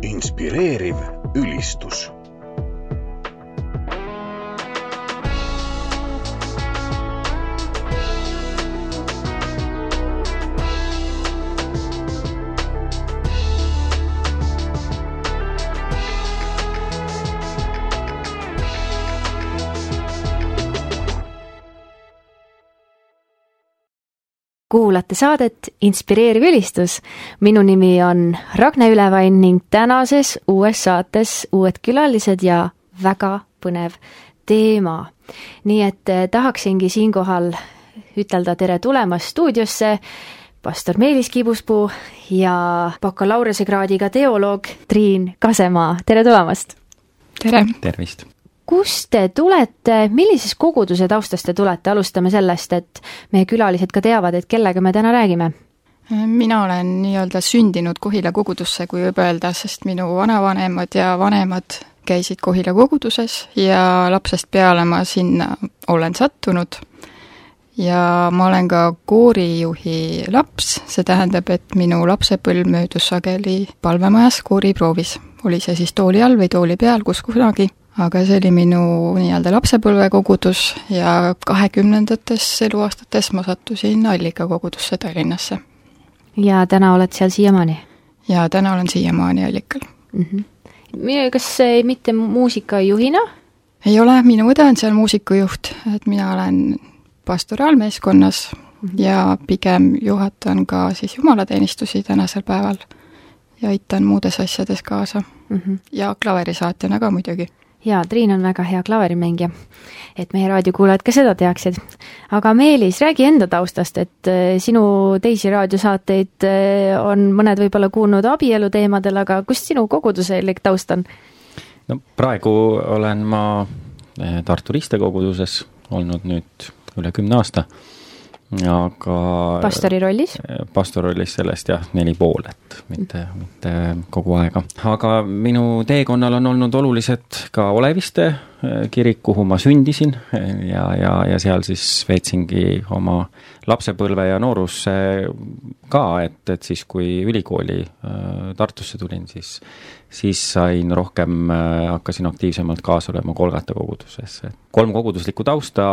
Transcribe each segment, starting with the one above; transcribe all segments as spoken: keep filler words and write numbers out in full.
Inspireeriv ülistus. Kuulate saadet Inspireeriv ülistus. Minu nimi on Ragne Ülevain ning tänases uues saates uued külalised ja väga põnev teema. Nii et tahaksingi siinkohal ütelda tere tulemast stuudiosse pastor Meelis Kibuspuu ja bakalaureusekraadiga teoloog Triin Kasemaa. Tere tulemast! Tere! Tervist! Kust te tulete, millises koguduse taustast te tulete? Alustame sellest, et meie külalised ka teavad, et kellega me täna räägime. Mina olen nii-öelda sündinud Kohila kogudusse, kui võib öelda, sest minu vanavanemad ja vanemad käisid Kohila koguduses ja lapsest peale ma sinna olen sattunud. Ja ma olen ka koorijuhi laps, see tähendab, et minu lapsepõlv möödus sageli palvemajas kooriproovis. Oli see siis tooli all või tooli peal, kus kunagi. Aga see oli minu nii-öelda lapsepõlvekogudus ja kahekümnendates eluaastates ma sattusin Allika kogudusse Tallinnasse. Ja täna oled seal siiamaani? Ja täna olen siiamaani Allikal. Mm-hmm. Kas mitte muusikajuhina? Ei ole, minu õde on seal muusikujuht, et mina olen pastoraalmeeskonnas mm-hmm. ja pigem juhatan ka siis jumalateenistusi tänasel päeval ja aitan muudes asjades kaasa. Mm-hmm. Ja klaverisaatjana ka muidugi. Ja, Triin on väga hea klaverimängija, et meie raadiokuulajad ka seda teaksid. Aga Meelis, räägi enda taustast, et sinu teisi raadiosaateid on mõned võib-olla kuulnud abielu teemadel, aga kust sinu koguduselik taust on? No, praegu olen ma Tartu Ristekoguduses olnud nüüd üle kümne aasta. Aga pastori rollis? Pastori rollis sellest jah, neli pool, et mitte, mitte kogu aega. Aga minu teekonnal on olnud olulised ka Oleviste kirik, kuhu ma sündisin ja, ja, ja seal siis veetsingi oma lapsepõlve ja noorusse ka, et, et siis kui ülikooli Tartusse tulin, siis, siis sain rohkem, hakkasin aktiivsemalt kaasa olema Kolgata koguduses. Kolm koguduslikku tausta,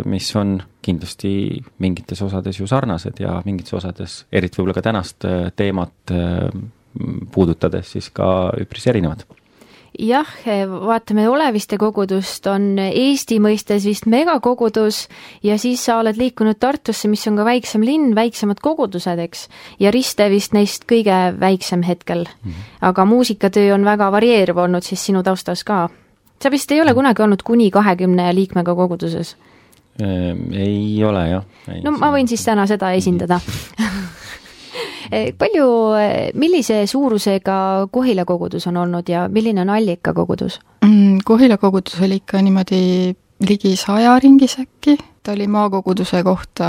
mis on kindlasti mingites osades ju sarnased ja mingites osades, eriti võib-olla ka tänast teemat puudutades, siis ka üpris erinevad. Jah, vaatame Oleviste kogudust, on Eesti mõistes vist megakogudus ja siis sa oled liikunud Tartusse, mis on ka väiksem linn, väiksemad kogudused, eks? Ja Riste vist neist kõige väiksem hetkel. Mm-hmm. Aga muusikatöö on väga varieeruv olnud siis sinu taustas ka. Sa vist ei ole kunagi olnud kuni kahekümne liikmega koguduses? Ei ole, jah. Ei, no ma võin siis täna seda esindada. Palju, millise suurusega Kohila kogudus on olnud ja milline on Allika kogudus? Kohila kogudus oli ikka niimoodi ligi saja ringis äkki. Ta oli maakoguduse kohta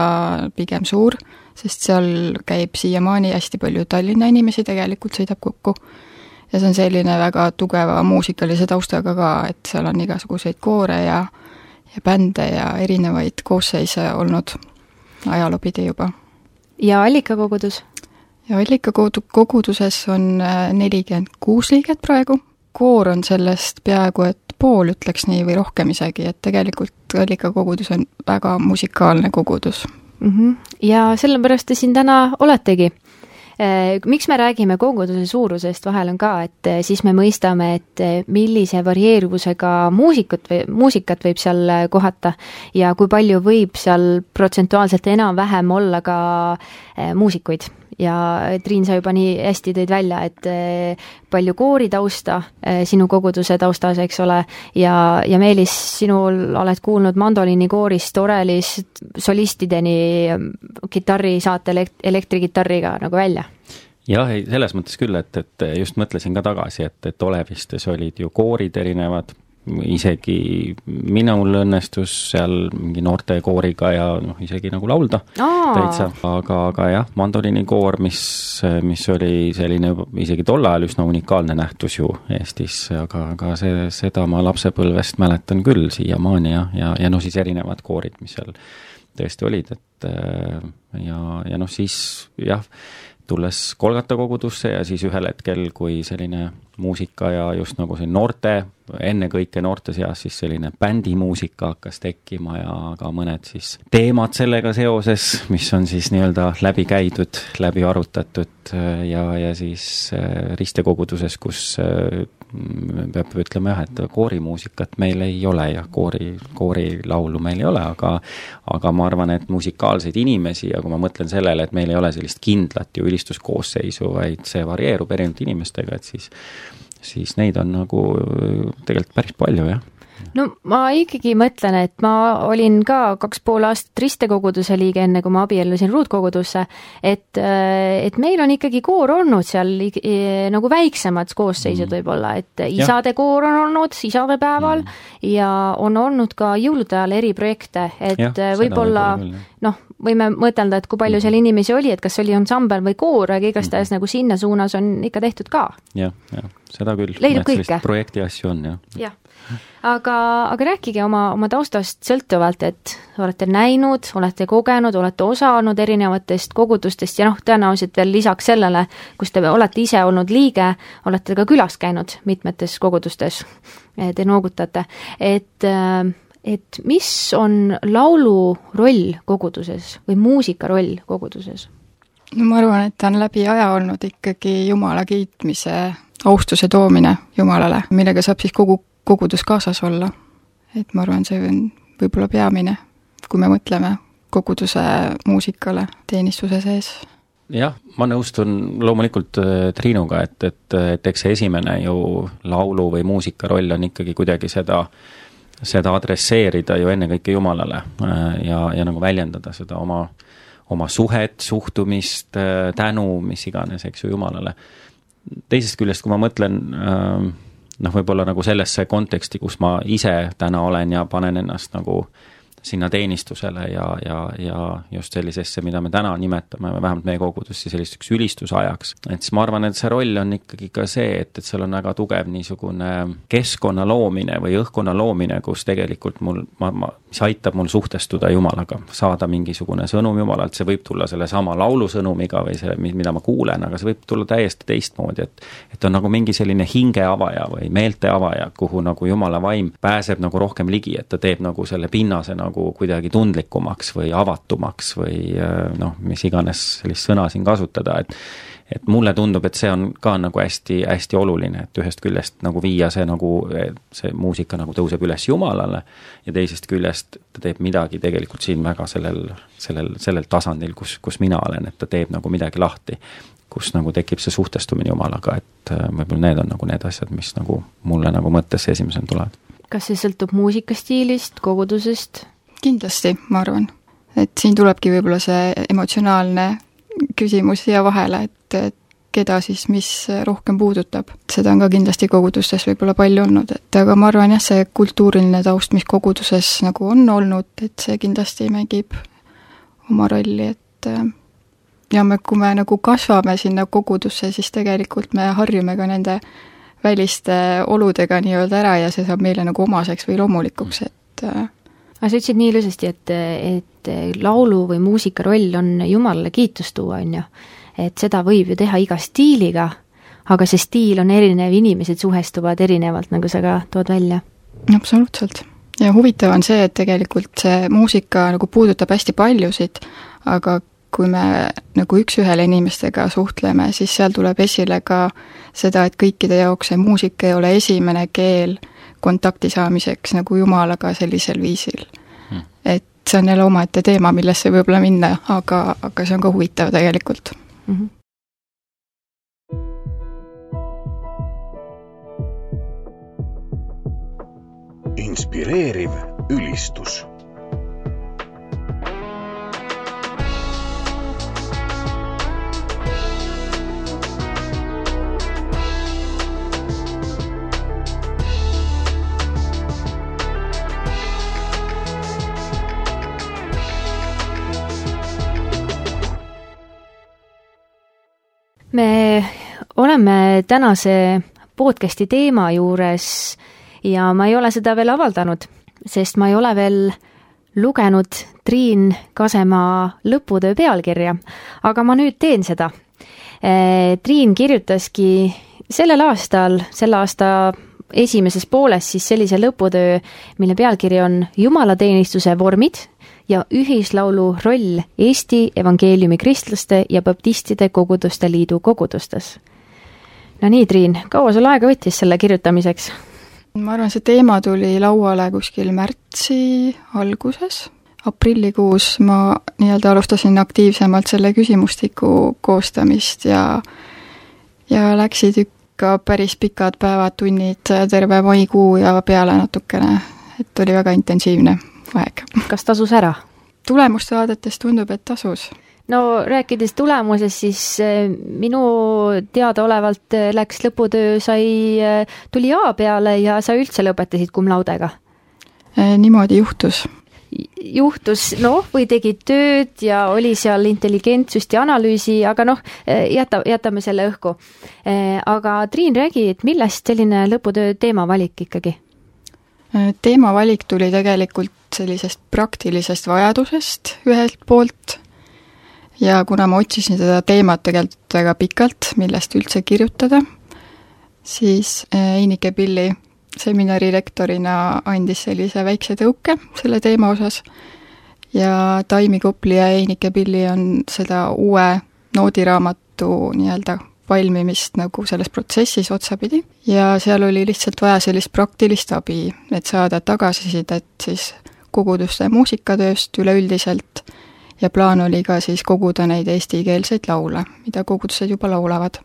pigem suur, sest seal käib siiamaani hästi palju Tallinna inimesi, tegelikult sõidab kokku. Ja see on selline väga tugeva muusikalise taustaga ka, et seal on igasuguseid koore ja, ja bände ja erinevaid koosseise olnud ajaloopidi juba. Ja Allika kogudus? Ja Allika koguduses on nelikümmend kuus liiget praegu. Koor on sellest peaaegu, et pool ütleks nii või rohkem isegi, et tegelikult Allika kogudus on väga musikaalne kogudus. Mm-hmm. Ja sellepärast te siin täna oletegi. Miks me räägime koguduse suurusest vahel on ka, et siis me mõistame, et millise varieeruvusega muusikut või, muusikat võib seal kohata ja kui palju võib seal protsentuaalselt enam vähem olla ka muusikuid. Ja Triin, sa juba nii hästi tõid välja, et palju koori tausta sinu koguduse taustas, eks ole, ja, ja Meelis, sinul oled kuulnud mandoliini koorist, orelist, solistideni, kitarri saate elektrikitarriga nagu välja. Jah, selles mõttes küll, et, et just mõtlesin ka tagasi, et, et Olevistes olid ju koorid erinevad, isegi minul õnnestus seal mingi noorte kooriga ja noh, isegi nagu laulda täitsa, aga, aga jah, mandoliinikoor, mis, mis oli selline isegi tol ajal üsna unikaalne nähtus ju Eestis, aga, aga see, seda ma lapsepõlvest mäletan küll siiamaani ja, ja, ja no siis erinevad koorid, mis seal tõesti olid, et ja, ja noh, siis jah, tulles Kolgata kogudusse ja siis ühel hetkel, kui selline muusika ja just nagu see noorte, ennekõike noorte seas siis selline bändimuusika hakkas tekkima ja ka mõned siis teemad sellega seoses, mis on siis nii-öelda läbi käidud, läbi arutatud ja, ja siis ristekoguduses, kus peab ütlema jah, et koorimuusikat meil ei ole ja koori, koorilaulu meil ei ole, aga, aga ma arvan, et musikaalseid inimesi ja kui ma mõtlen sellele, et meil ei ole sellist kindlat ju ülistuskoosseisu, vaid see varieerub erinevate inimestega, et siis, siis neid on nagu tegelikult päris palju, jah. No ma ikkagi mõtlen, et ma olin ka kaks pool aastat ristekoguduse liige enne, kui ma abiellusin ruutkogudusse, et, et meil on ikkagi koor olnud seal nagu väiksemad koosseisud mm. võib-olla, et isade ja. Koor on olnud isade päeval mm. ja on olnud ka jõulude ajal eri projekte, et ja, võib-olla noh, võime mõtelda, et kui palju seal inimesi oli, et kas oli ansambel või koor, aga igastahes mm. nagu sinna suunas on ikka tehtud ka. Jah, jah, seda küll. Leidub kõike. Projekti asju on, jah. Jah. Aga, aga rääkige oma, oma taustast sõltuvalt, et olete näinud, olete kogenud, olete osanud erinevatest kogudustest ja noh, tõenäoliselt veel lisaks sellele, kus te olete ise olnud liige, olete ka külas käinud mitmetes kogudustes, te noogutate, et, et mis on laulu roll koguduses või muusika roll koguduses? No ma arvan, et ta on läbi aja olnud ikkagi Jumala kiitmise, austuse toomine Jumalale, millega saab siis kogu kogudus kaasas olla. Et ma arvan, see on võib-olla peamine, kui me mõtleme koguduse muusikale teenistuse sees. Jah, ma nõustun loomulikult Triinuga, et, et, et eks see esimene ju laulu või muusika roll on ikkagi kuidagi seda, seda adresseerida ju ennekõike Jumalale ja, ja nagu väljendada seda oma, oma suhet, suhtumist, tänu, mis iganes, eks ju, Jumalale. Teisest küljest, kui ma mõtlen noh, võib-olla nagu sellesse konteksti, kus ma ise täna olen ja panen ennast nagu sinna teenistusele ja, ja, ja just sellisesse, mida me täna nimetame, vähemalt meie kogudussi selliseks ülistusajaks. Et siis ma arvan, et see roll on ikkagi ka see, et, et seal on väga tugev niisugune keskkonna loomine või õhkkonna loomine, kus tegelikult mul, ma, ma, mis aitab mul suhtestuda Jumalaga, saada mingisugune sõnum Jumalalt, see võib tulla selle sama laulusõnumiga või see, mida ma kuulen, aga see võib tulla täiesti teistmoodi, et, et on nagu mingi selline hingeavaja või meelteavaja, kuhu nagu Jumala vaim pääseb nagu rohkem ligi, et ta teeb nagu selle pinnase nagu kuidagi tundlikumaks või avatumaks või noh, mis iganes sellist sõna siin kasutada, et et mulle tundub, et see on ka nagu hästi, hästi oluline, et ühest küljest nagu viia see nagu, see muusika nagu tõuseb üles Jumalale ja teisest küljest ta teeb midagi tegelikult siin väga sellel, sellel, sellel tasandil, kus, kus mina olen, et ta teeb nagu midagi lahti, kus nagu tekib see suhtestumine Jumalaga, et võib-olla need on nagu need asjad, mis nagu mulle nagu mõttesse esimesena tulevad. Kas see sõltub muusikastiilist, kogudusest? Kindlasti, ma arvan. Et siin tulebki võib-olla see emotsionaalne küsimus siia vahele, et, et keda siis mis rohkem puudutab. Seda on ka kindlasti kogudustes võib-olla palju olnud, et aga ma arvan jah, see kultuuriline taust, mis koguduses nagu on olnud, et see kindlasti mängib oma rolli, et ja me, kui me nagu kasvame sinna kogudusse, siis tegelikult me harjume ka nende väliste oludega nii-öelda ära ja see saab meile nagu omaseks või loomulikuks, et aga sa ütlesid nii ilusasti, et, et laulu või muusika roll on Jumalale kiitust tuua, on ju. Et seda võib ju teha iga stiiliga, aga see stiil on erinev, inimesed suhestuvad erinevalt, nagu sa ka tood välja. Absoluutselt. Ja huvitav on see, et tegelikult see muusika nagu puudutab hästi paljusid, aga kui me nagu üks-ühele inimestega suhtleme, siis seal tuleb esile ka seda, et kõikide jaoks see muusika ei ole esimene keel kontakti saamiseks nagu Jumalaga sellisel viisil. Hmm. Et see on jälle omaette teema, millesse võib-olla minna, aga, aga see on ka huvitav tegelikult. Mm-hmm. Inspireeriv ülistus. Me oleme tänase podcasti teema juures ja ma ei ole seda veel avaldanud, sest ma ei ole veel lugenud Triin Kasemaa lõputöö pealkirja, aga ma nüüd teen seda. Triin kirjutaski sellel aastal, selle aasta esimeses pooles siis sellise lõputöö, mille pealkiri on Jumalateenistuse vormid ja ühislaulu roll Eesti evangeeliumi kristlaste ja baptistide koguduste liidu kogudustes. No nii, Triin, kaua sul aega võttis selle kirjutamiseks? Ma arvan, see teema tuli lauale kuskil märtsi alguses. Aprillikuus ma nii-öelda alustasin aktiivsemalt selle küsimustiku koostamist ja, ja läksid ikka päris pikad päevad, tunnid, terve maikuu ja peale natukene, et oli väga intensiivne aeg. Kas tasus ära? Tulemust vaadates tundub, et tasus. No rääkides tulemuses, siis minu teadaolevalt läks lõputöö, sai, tuli A peale ja sa üldse lõpetasid cum laudega? Niimoodi juhtus. Juhtus, noh, või tegid tööd ja oli seal intelligentsust ja analüüsi, aga noh, jäta, jätame selle õhku. Aga Triin, räägi, et millest selline lõputöö teemavalik ikkagi? Teemavalik tuli tegelikult sellisest praktilisest vajadusest ühelt poolt ja kuna ma otsisin seda teemat tegelikult väga pikalt, millest üldse kirjutada, siis Einike Pilli seminari rektorina andis sellise väikse tõuke selle teema osas ja Taimi Kopli ja Einike Pilli on seda uue noodiraamatu nii-öelda valmimist nagu selles protsessis otsapidi ja seal oli lihtsalt vaja sellist praktilist abi, et saada tagasisidet siis koguduste muusikatööst üleüldiselt ja plaan oli ka siis koguda neid eestikeelseid laule, mida kogudused juba laulavad.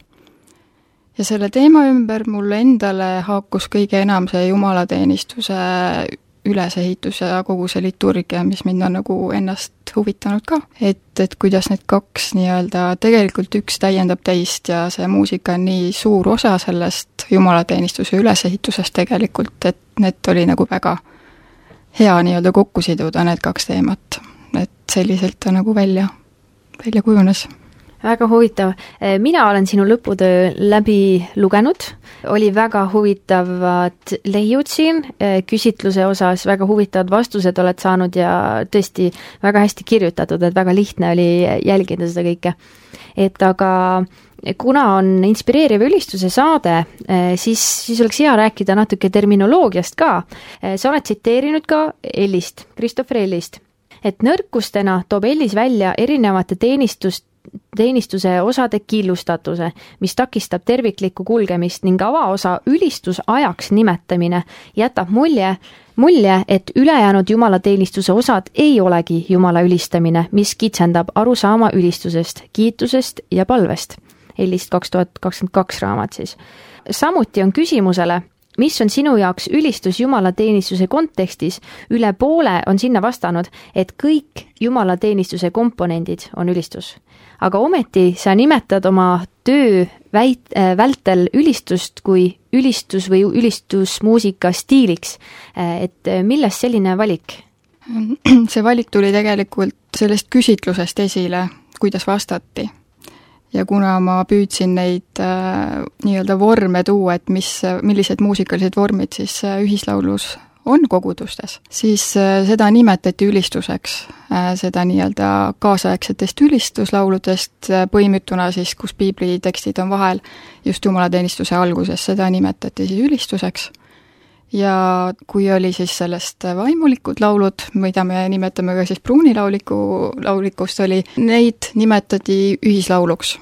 Ja selle teema ümber mulle endale haakus kõige enam see jumalateenistuse ülesehitus ja kogu see liturgia, mis mind on nagu ennast huvitanud ka. Et, et kuidas need kaks nii-öelda, tegelikult üks täiendab teist ja see muusika on nii suur osa sellest jumalateenistuse ülesehitusest tegelikult, et need oli nagu väga hea nii-öelda kokku siduda need kaks teemat. Et selliselt ta nagu välja, välja kujunes. Väga huvitav. Mina olen sinu lõputöö läbi lugenud. Oli väga huvitavad leiud siin, küsitluse osas väga huvitavad vastused oled saanud ja tõesti väga hästi kirjutatud, et väga lihtne oli jälgida seda kõike. Et aga kuna on inspireeriv ülistuse saade, siis, siis oleks hea rääkida natuke terminoloogiast ka. Sa oled tsiteerinud ka Ellist, Christopher Ellist, et nõrkustena toob Ellis välja erinevate teenistust teenistuse osade killustatuse, mis takistab terviklikku kulgemist ning avaosa ülistusajaks nimetamine jätab mulje, mulje, et ülejäänud jumalateenistuse osad ei olegi jumala ülistamine, mis kitsendab arusaama ülistusest, kiitusest ja palvest. Ellist kaks tuhat kakskümmend kaks raamat siis. Samuti on küsimusele, mis on sinu jaoks ülistus jumalateenistuse kontekstis, üle poole on sinna vastanud, et kõik jumalateenistuse komponendid on ülistus. Aga ometi sa nimetad oma töö väit, äh, vältel ülistust kui ülistus või ülistusmuusika stiiliks. Et millest selline valik? See valik tuli tegelikult sellest küsitlusest esile, kuidas vastati. Ja kuna ma püüdsin neid äh, nii-öelda vorme tuua, et mis, millised muusikalised vormid siis äh, ühislaulus on kogudustes, siis äh, seda nimetati ülistuseks, äh, seda nii-öelda kaasaegsetest ülistuslauludest äh, põimutuna siis, kus piibli tekstid on vahel just jumalateenistuse alguses, seda nimetati siis ülistuseks. Ja kui oli siis sellest vaimulikud laulud, mida me nimetame ka siis pruunilauliku laulikust oli, neid nimetati ühislauluks.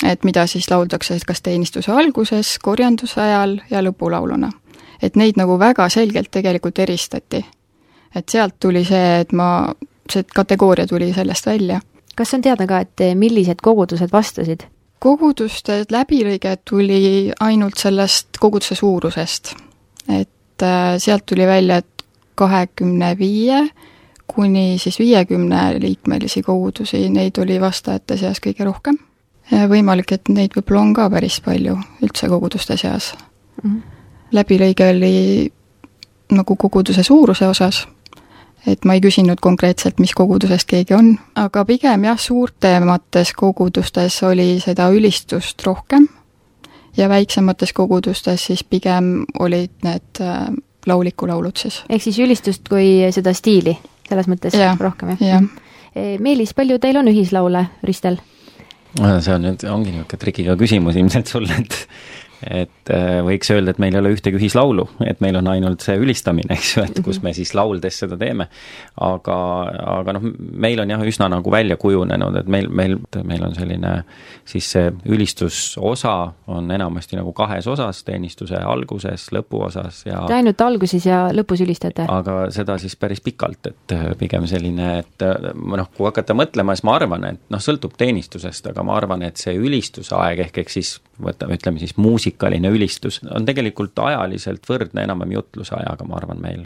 Et mida siis lauldakse kas teenistuse alguses, korjanduse ajal ja lõpulauluna. Et neid nagu väga selgelt tegelikult eristati. Et sealt tuli see, et ma, see kategooria tuli sellest välja. Kas on teada ka, et millised kogudused vastasid? Koguduste läbilõige tuli ainult sellest koguduse suurusest. Et sealt tuli välja, et kahekümne viie kuni siis viiekümne liikmelisi kogudusi, neid oli vastajate seas kõige rohkem. Ja võimalik, et neid võib-olla on ka päris palju üldse koguduste seas. Mm-hmm. Läbilõige oli nagu koguduse suuruse osas, et ma ei küsinud konkreetselt, mis kogudusest keegi on, aga pigem jah, suurtemates kogudustes oli seda ülistust rohkem ja väiksemates kogudustes siis pigem olid need laulikulaulud siis. Ehk siis ülistust kui seda stiili? selles mõttes ja, rohkem, jah ja.? Meelis, palju teil on ühislaule, Ristel? See on nüüd, ongi niisugune trikiga küsimus ilmselt sulle, et et võiks öelda, et meil ei ole ühtegi ühislaulu, et meil on ainult see ülistamine, eks ju, et kus me siis lauldes seda teeme. Aga, aga noh, meil on jah üsna nagu välja kujunenud, et meil, meil, meil on selline siis see ülistusosa on enamasti nagu kahes osas, teenistuse alguses, lõpuosas ja Te ainult alguses ja lõpus ülistate? Aga seda siis päris pikalt, et pigem selline, et noh, kui hakata mõtlema, siis ma arvan, et noh, sõltub teenistusest, aga ma arvan, et see ülistusaeg ehk, ehk siis võtame, ütleme siis muusikaline ülistus on tegelikult ajaliselt võrdne enam-vähem jutlusajaga, ma arvan meil.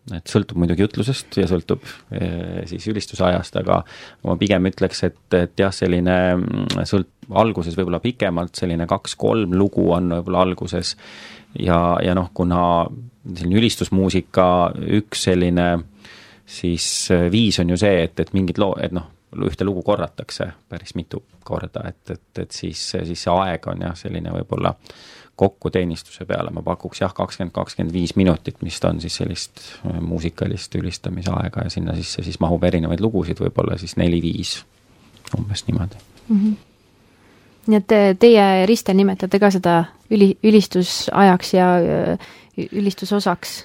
Et sõltub muidugi jutlusest ja sõltub e, siis ülistusajast, aga ma pigem ütleks, et, et jah, selline sõlt, alguses võib-olla pikemalt, selline kaks-kolm lugu on võib-olla alguses ja, ja noh, kuna selline ülistusmuusika üks selline siis viis on ju see, et, et mingid loo, et noh, ühte lugu korratakse päris mitu korda, et, et, et siis, siis see aeg on jah, selline võib-olla kokku teenistuse peale, ma pakuks jah, kakskümmend kakskümmend viis minutit, mis on siis sellist muusikalist ülistamise aega ja sinna sisse siis mahub erinevaid lugusid, võib-olla siis neli-viis, umbes niimoodi. Mm-hmm. Nii et teie, Ristel, nimetate ka seda üli, ülistusajaks ja ülistusosaks?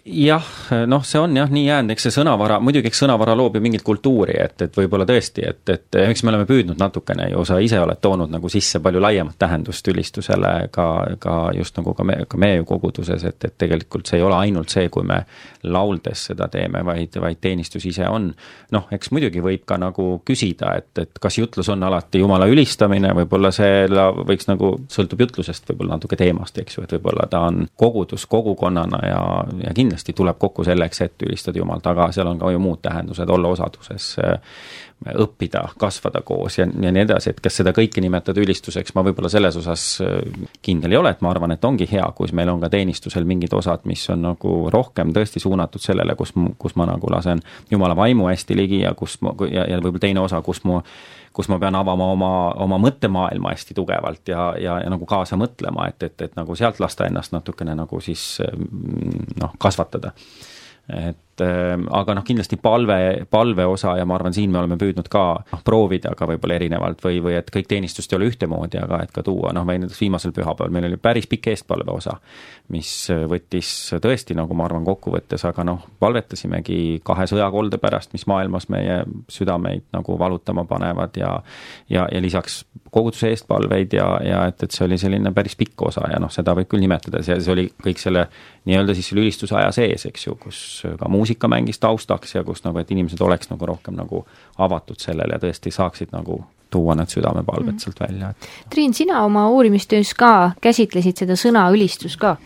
Jah, noh, see on jah nii jäänud, eks see sõnavara, muidugi eks sõnavara loob ju mingit kultuuri, et, et võib-olla tõesti, et, et eks me oleme püüdnud natukene ju, sa ise oled toonud nagu sisse palju laiemat tähendust ülistusele ka, ka just nagu ka, me, ka meie koguduses, et, et tegelikult see ei ole ainult see, kui me lauldes seda teeme, vaid, vaid teenistus ise on. Noh, eks muidugi võib ka nagu küsida, et, et kas jutlus on alati Jumala ülistamine, võib-olla see võiks nagu, sõltub jutlusest võib-olla natuke teemast, eks ju, et võib-olla ta on kogudus kogukonnana ja, ja kindlasti tuleb kokku selleks, et ülistada Jumalt, aga seal on ka ju muud tähendused, olla osaduses, õppida, kasvada koos ja, ja nii edasi, et kas seda kõike nimetada ülistuseks, ma võib-olla selles osas kindel ei ole, et ma arvan, et ongi hea, kui meil on ka teenistusel mingid osad, mis on nagu rohkem tõesti suunatud sellele, kus, kus ma nagu lasen Jumala vaimu hästi ligi ja, kus ma, ja, ja võib-olla teine osa, kus mu kus ma pean avama oma, oma mõttemaailma hästi tugevalt ja, ja, ja nagu kaasa mõtlema, et, et, et nagu sealt lasta ennast natukene nagu siis noh, kasvatada. Et aga noh, kindlasti palve, palve osa ja ma arvan, siin me oleme püüdnud ka noh, proovida ka võib-olla erinevalt või, või et kõik teenistust ei ole ühtemoodi, aga et ka tuua, noh, või näiteks viimasel pühapäeval meil oli päris pikk eestpalve osa, mis võttis tõesti, nagu ma arvan, kokkuvõttes, aga noh, palvetasimegi kahe sõjakolde pärast, mis maailmas meie südameid nagu valutama panevad ja, ja, ja lisaks koguduse eestpalveid ja, ja et, et see oli selline päris pikk osa ja noh, seda võib küll nimetada, see, see oli kõik selle nii-öelda siis selle ülistusaja sees, eks ju, kus ka muusika mängis taustaks ja kus nagu, et inimesed oleks nagu rohkem nagu avatud sellele ja tõesti saaksid nagu tuua need südamepalved mm. sealt välja. Et... Triin, sina oma uurimistöös ka käsitlesid seda sõna ülistus ka.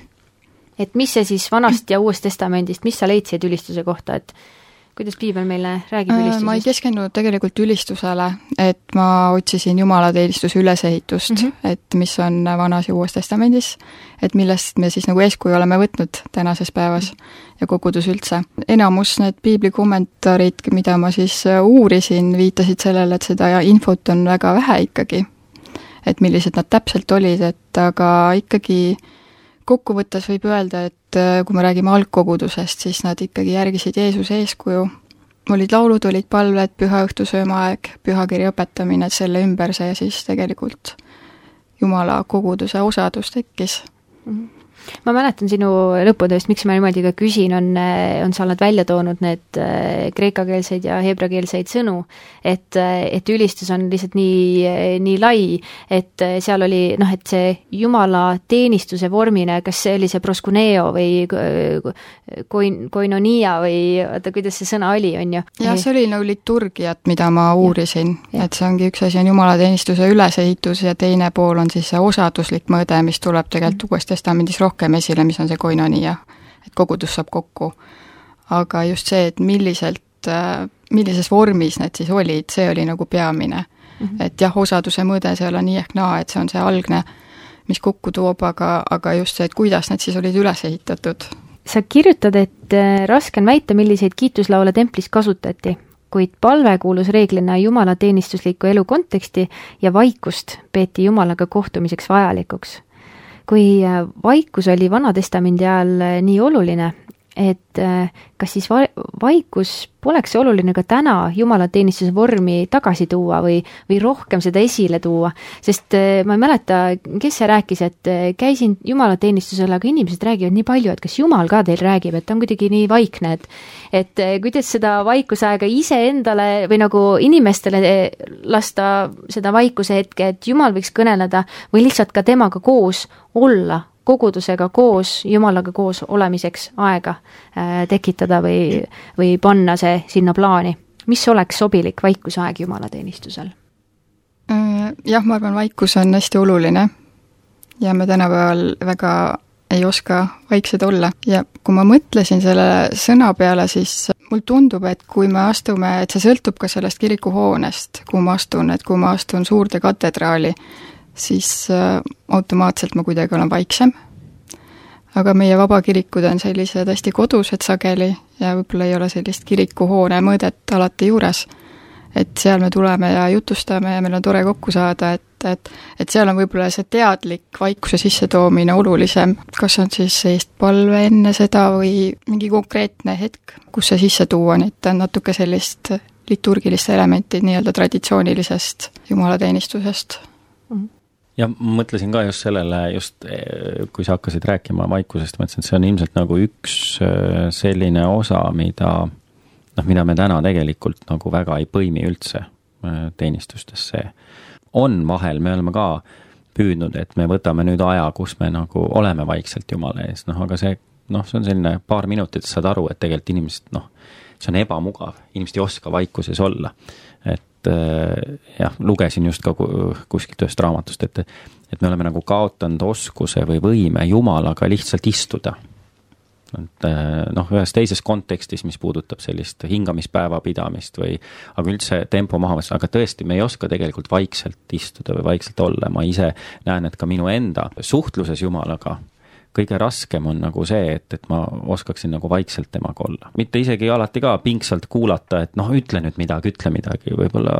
Et mis see siis vanast ja uuest testamendist, mis sa leidsid ülistuse kohta, et kuidas Piibel meile räägib ülistusest? Ma ei keskendunud tegelikult ülistusele, et ma otsisin jumalateenistuse ülesehitust, mm -hmm. et mis on vanas ja uues testamendis, et millest me siis nagu eeskuju oleme võtnud tänases päevas mm -hmm. ja kogudus üldse. Enamus need piibli kommentaarid, mida ma siis uurisin, viitasid sellele, et seda infot on väga vähe ikkagi, et millised nad täpselt olid, et aga ikkagi kokkuvõttes võib öelda, et kui me räägime algkogudusest, siis nad ikkagi järgisid Jeesuse eeskuju. Olid laulud, olid palved, püha õhtusöömaaeg, pühakirja õpetamine, selle ümber see siis tegelikult Jumala koguduse osadus tekkis. Mm-hmm. Ma mäletan sinu lõputööst, miks ma niimoodi ka küsin, on, on sa oled välja toonud need kreekakeelseid ja heebrakeelseid sõnu, et, et ülistus on lihtsalt nii, nii lai, et seal oli, noh, et see Jumala teenistuse vormine, kas see oli see proskuneo või koin, koinonia või oota, kuidas see sõna oli, on ju? Jah, see oli nagu liturgiat, mida ma uurisin, ja, et see ongi üks asi on Jumala teenistuse ülesehitus ja teine pool on siis see osaduslik mõõde, mis tuleb tegelikult uues testamendis rohkem rohkem esile, mis on see koinonia, et kogudus saab kokku. Aga just see, et milliselt, millises vormis need siis olid, see oli nagu peamine. Mm-hmm. Et jah, osaduse mõõde see ei ole nii ehk naa, et see on see algne, mis kokku toob, aga, aga just see, et kuidas need siis olid üles ehitatud. Sa kirjutad, et raske on väita, milliseid kiituslaule templis kasutati, kuid palve kuulus reeglina Jumala teenistusliku elu konteksti ja vaikust peeti Jumalaga kohtumiseks vajalikuks. Kui vaikus oli Vana Testamendi ajal nii oluline, et kas siis va- vaikus poleks oluline ka täna jumalateenistuse vormi tagasi tuua või, või rohkem seda esile tuua, sest ma ei mäleta, kes see rääkis, et käisin jumalateenistusel, aga inimesed räägivad nii palju, et kas Jumal ka teil räägib, et ta on kuidagi nii vaikne, et et kuidas seda vaikusaega iseendale või nagu inimestele lasta seda vaikuse hetke, et Jumal võiks kõneleda või lihtsalt ka temaga koos olla, kogudusega koos, Jumalaga koos olemiseks aega äh, tekitada või, või panna see sinna plaani. Mis oleks sobilik vaikusaeg jumalateenistusel? Jah, ma arvan, vaikus on hästi oluline ja me tänapäeval väga ei oska vaiksed olla. Ja kui ma mõtlesin selle sõna peale, siis mul tundub, et kui me astume, et see sõltub ka sellest kirikuhoonest, kuhu ma astun, et kui ma astun suurde katedraali, siis äh, automaatselt ma kuidagi olen vaiksem. Aga meie vabakirikud on sellised hästi kodused sageli ja võib-olla ei ole sellist kirikuhoone mõõdet alati juures. Et seal me tuleme ja jutustame ja meil on tore kokku saada, et, et, et seal on võib-olla see teadlik vaikuse sissetoomine olulisem. Kas on siis eestpalve enne seda või mingi konkreetne hetk, kus see sisse tuua, nii et on natuke sellist liturgilist elementi nii-öelda traditsioonilisest jumalateenistusest. Mm-hmm. Ja mõtlesin ka just sellele, just kui sa hakkasid rääkima vaikusest, mõtlesin, et see on ilmselt nagu üks selline osa, mida, noh, mida me täna tegelikult nagu väga ei põimi üldse teenistustesse. On vahel, me oleme ka püüdnud, et me võtame nüüd aja, kus me nagu oleme vaikselt Jumala ees, noh, aga see, noh, see on selline paar minutit, saad aru, et tegelikult inimesed, noh, see on ebamugav, inimesed ei oska vaikuses olla, et jah, lugesin just ka kuskilt ühest raamatust, et, et me oleme nagu kaotanud oskuse või võime Jumalaga lihtsalt istuda. Et, noh, ühes teises kontekstis, mis puudutab sellist hingamispäeva pidamist või, aga üldse tempo maha, aga tõesti, me ei oska tegelikult vaikselt istuda või vaikselt olla. Ma ise näen, et ka minu enda suhtluses Jumalaga kõige raskem on nagu see, et, et ma oskaksin nagu vaikselt temaga olla. Mitte isegi alati ka pingsalt kuulata, et noh, ütle nüüd midagi, ütle midagi, võib-olla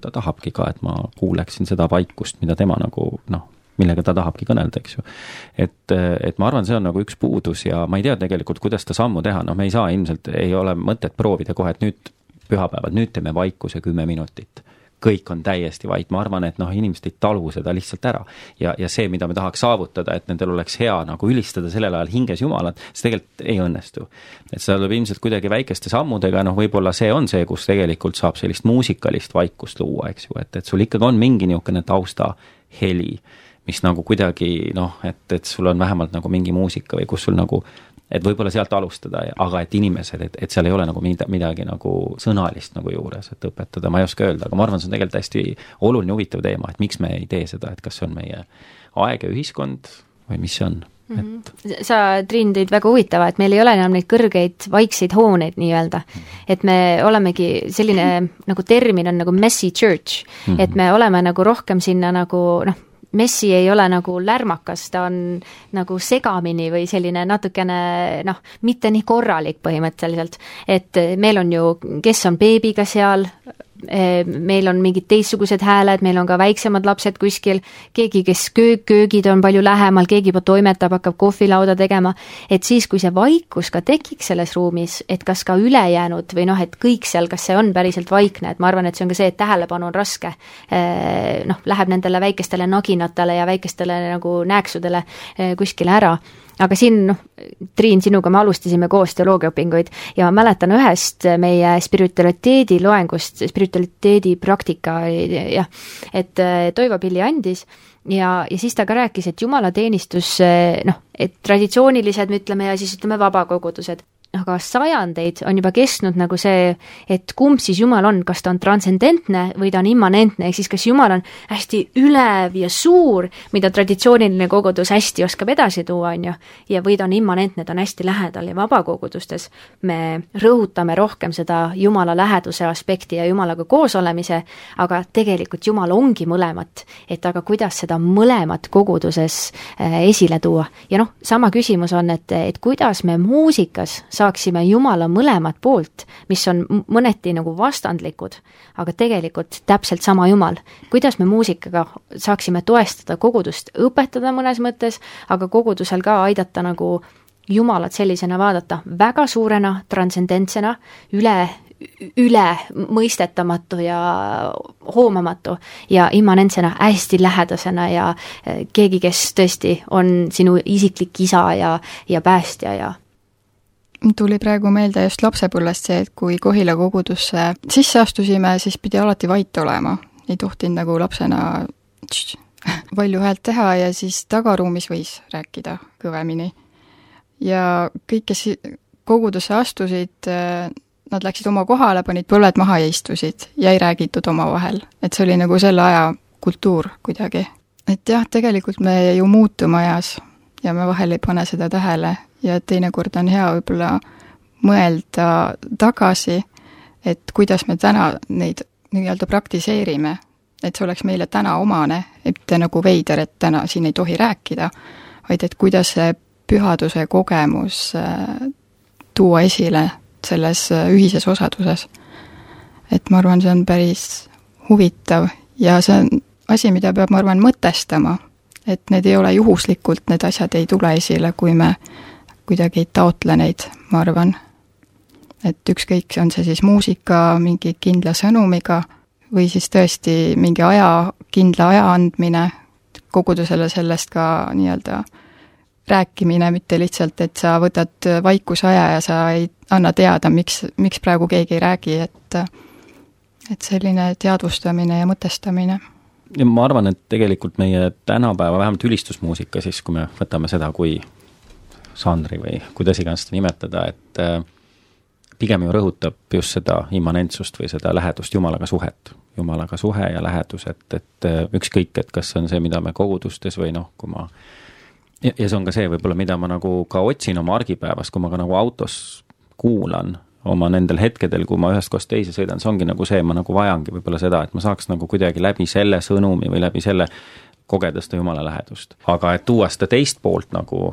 ta tahabki ka, et ma kuuleksin seda vaikust, mida tema nagu, noh, millega ta tahabki kõnelda, eks ju. Et, et ma arvan, see on nagu üks puudus ja ma ei tea tegelikult, kuidas ta sammu teha, noh, me ei saa ilmselt, ei ole mõtet proovida kohe, et nüüd pühapäevad, nüüd teeme vaikuse kümme minutit. Kõik on täiesti vait, ma arvan, et noh, inimesed ei talu seda lihtsalt ära ja, ja see, mida me tahaks saavutada, et nendel oleks hea nagu ülistada sellel ajal hinges Jumalat, see tegelikult ei õnnestu. Et seda tuleb ilmselt kuidagi väikeste sammudega, noh, võib-olla see on see, kus tegelikult saab sellist muusikalist vaikust luua, eks ju, et, et sul ikkagi on mingi niisugune tausta heli, mis nagu kuidagi, noh, et, et sul on vähemalt nagu mingi muusika või kus sul nagu, et võib-olla sealt alustada, aga et inimesed, et, et seal ei ole nagu midagi, midagi nagu sõnalist nagu juures, et õpetada, ma ei oska öelda, aga ma arvan, see on tegelikult hästi oluline huvitav teema, et miks me ei tee seda, et kas see on meie aeg ja ühiskond või mis see on? Et... Sa, Triin, tõid väga huvitava, et meil ei ole enam neid kõrgeid vaikseid hooneid nii-öelda, et me olemegi selline nagu termin on nagu messy church, et me oleme nagu rohkem sinna nagu noh, messi ei ole nagu lärmakas, ta on nagu segamini või selline natukene, noh, mitte nii korralik põhimõtteliselt, et meil on ju, kes on beebiga seal, meil on mingid teistsugused hääled, meil on ka väiksemad lapsed kuskil, keegi, kes köög, köögid on palju lähemal, keegi juba toimetab, hakkab kohvilauda tegema, et siis, kui see vaikus ka tekiks selles ruumis, et kas ka ülejäänud või noh, et kõik seal, kas see on päriselt vaikne, et ma arvan, et see on ka see, et tähelepanu on raske, noh, läheb nendele väikestele naginatele ja väikestele nagu nääksudele kuskile ära. Aga siin, noh, Triin, sinuga me alustasime koos teoloogiaõpinguid ja ma mäletan ühest meie spiritualiteedi loengust, spiritualiteedi praktika, jah, et Toivo Pilli andis ja, ja siis ta ka rääkis, et jumalateenistus, noh, et traditsioonilised, me ütleme, ja siis ütleme vabakogudused, aga sajandeid on juba kestnud nagu see, et kumb siis Jumal on, kas ta on transcendentne või ta on immanentne, ehk siis kas Jumal on hästi ülev ja suur, mida traditsiooniline kogudus hästi oskab edasi tuua, on ju, ja või ta on immanentne, ta on hästi lähedal ja vabakogudustes me rõhutame rohkem seda Jumala läheduse aspekti ja Jumalaga koos olemise, aga tegelikult Jumal ongi mõlemat, et aga kuidas seda mõlemat koguduses esile tuua. Ja noh, sama küsimus on, et, et kuidas me muusikas saaksime Jumala mõlemat poolt, mis on mõneti nagu vastandlikud, aga tegelikult täpselt sama Jumal. Kuidas me muusikaga saaksime toestada kogudust, õpetada mõnes mõttes, aga kogudusel ka aidata nagu Jumalat sellisena vaadata, väga suurena, transcendentsena, üle, üle mõistetamatu ja hoomamatu ja immanentsena, hästi lähedasena ja keegi, kes tõesti on sinu isiklik isa ja, ja päästja ja tuli praegu meelde just lapsepõlvest see, et kui Kohila kogudusse sisse astusime, siis pidi alati vait olema. Ei tohtinud nagu lapsena tš, palju häält teha ja siis tagaruumis võis rääkida kõvemini. Ja kõik, kes kogudusse astusid, nad läksid oma kohale, panid põlved maha ja istusid ja ei räägitud oma vahel. Et see oli nagu selle aja kultuur kuidagi. Et jah, tegelikult me ju muutume ajas ja me vahel ei pane seda tähele ja teinekord on hea võib-olla mõelda tagasi, et kuidas me täna neid nii-öelda praktiseerime, et see oleks meile täna omane, et nagu veider, et täna siin ei tohi rääkida, vaid et kuidas see pühaduse kogemus tuua esile selles ühises osaduses. Et ma arvan, see on päris huvitav ja see on asi, mida peab, ma arvan, mõtestama, et need ei ole juhuslikult, need asjad ei tule esile, kui me kuidagi ei taotle neid, ma arvan. Et ükskõik, on see siis muusika mingi kindla sõnumiga või siis tõesti mingi aja, kindla aja andmine, kogudusele sellest ka nii-öelda rääkimine, mitte lihtsalt, et sa võtad vaikuse aja ja sa ei anna teada, miks, miks praegu keegi ei räägi, et, et selline teadvustamine ja mõtestamine. Ja ma arvan, et tegelikult meie tänapäeva, vähemalt ülistusmuusika siis, kui me võtame seda kui žanri või kuidas iganes seda nimetada, et pigem ju rõhutab just seda immanentsust või seda lähedust Jumalaga suhet. Jumalaga suhe ja lähedus, et, et ükskõik, et kas on see, mida me kogudustes või noh, kui ma ja, ja see on ka see võib-olla, mida ma nagu ka otsin oma argipäevas, kui ma ka nagu autos kuulan oma nendel hetkedel, kui ma ühest kohast teise sõidan, see ongi nagu see, ma nagu vajangi võib-olla seda, et ma saaks nagu kuidagi läbi selle sõnumi või läbi selle kogeda seda Jumala lähedust. Aga et tuua seda teist poolt nagu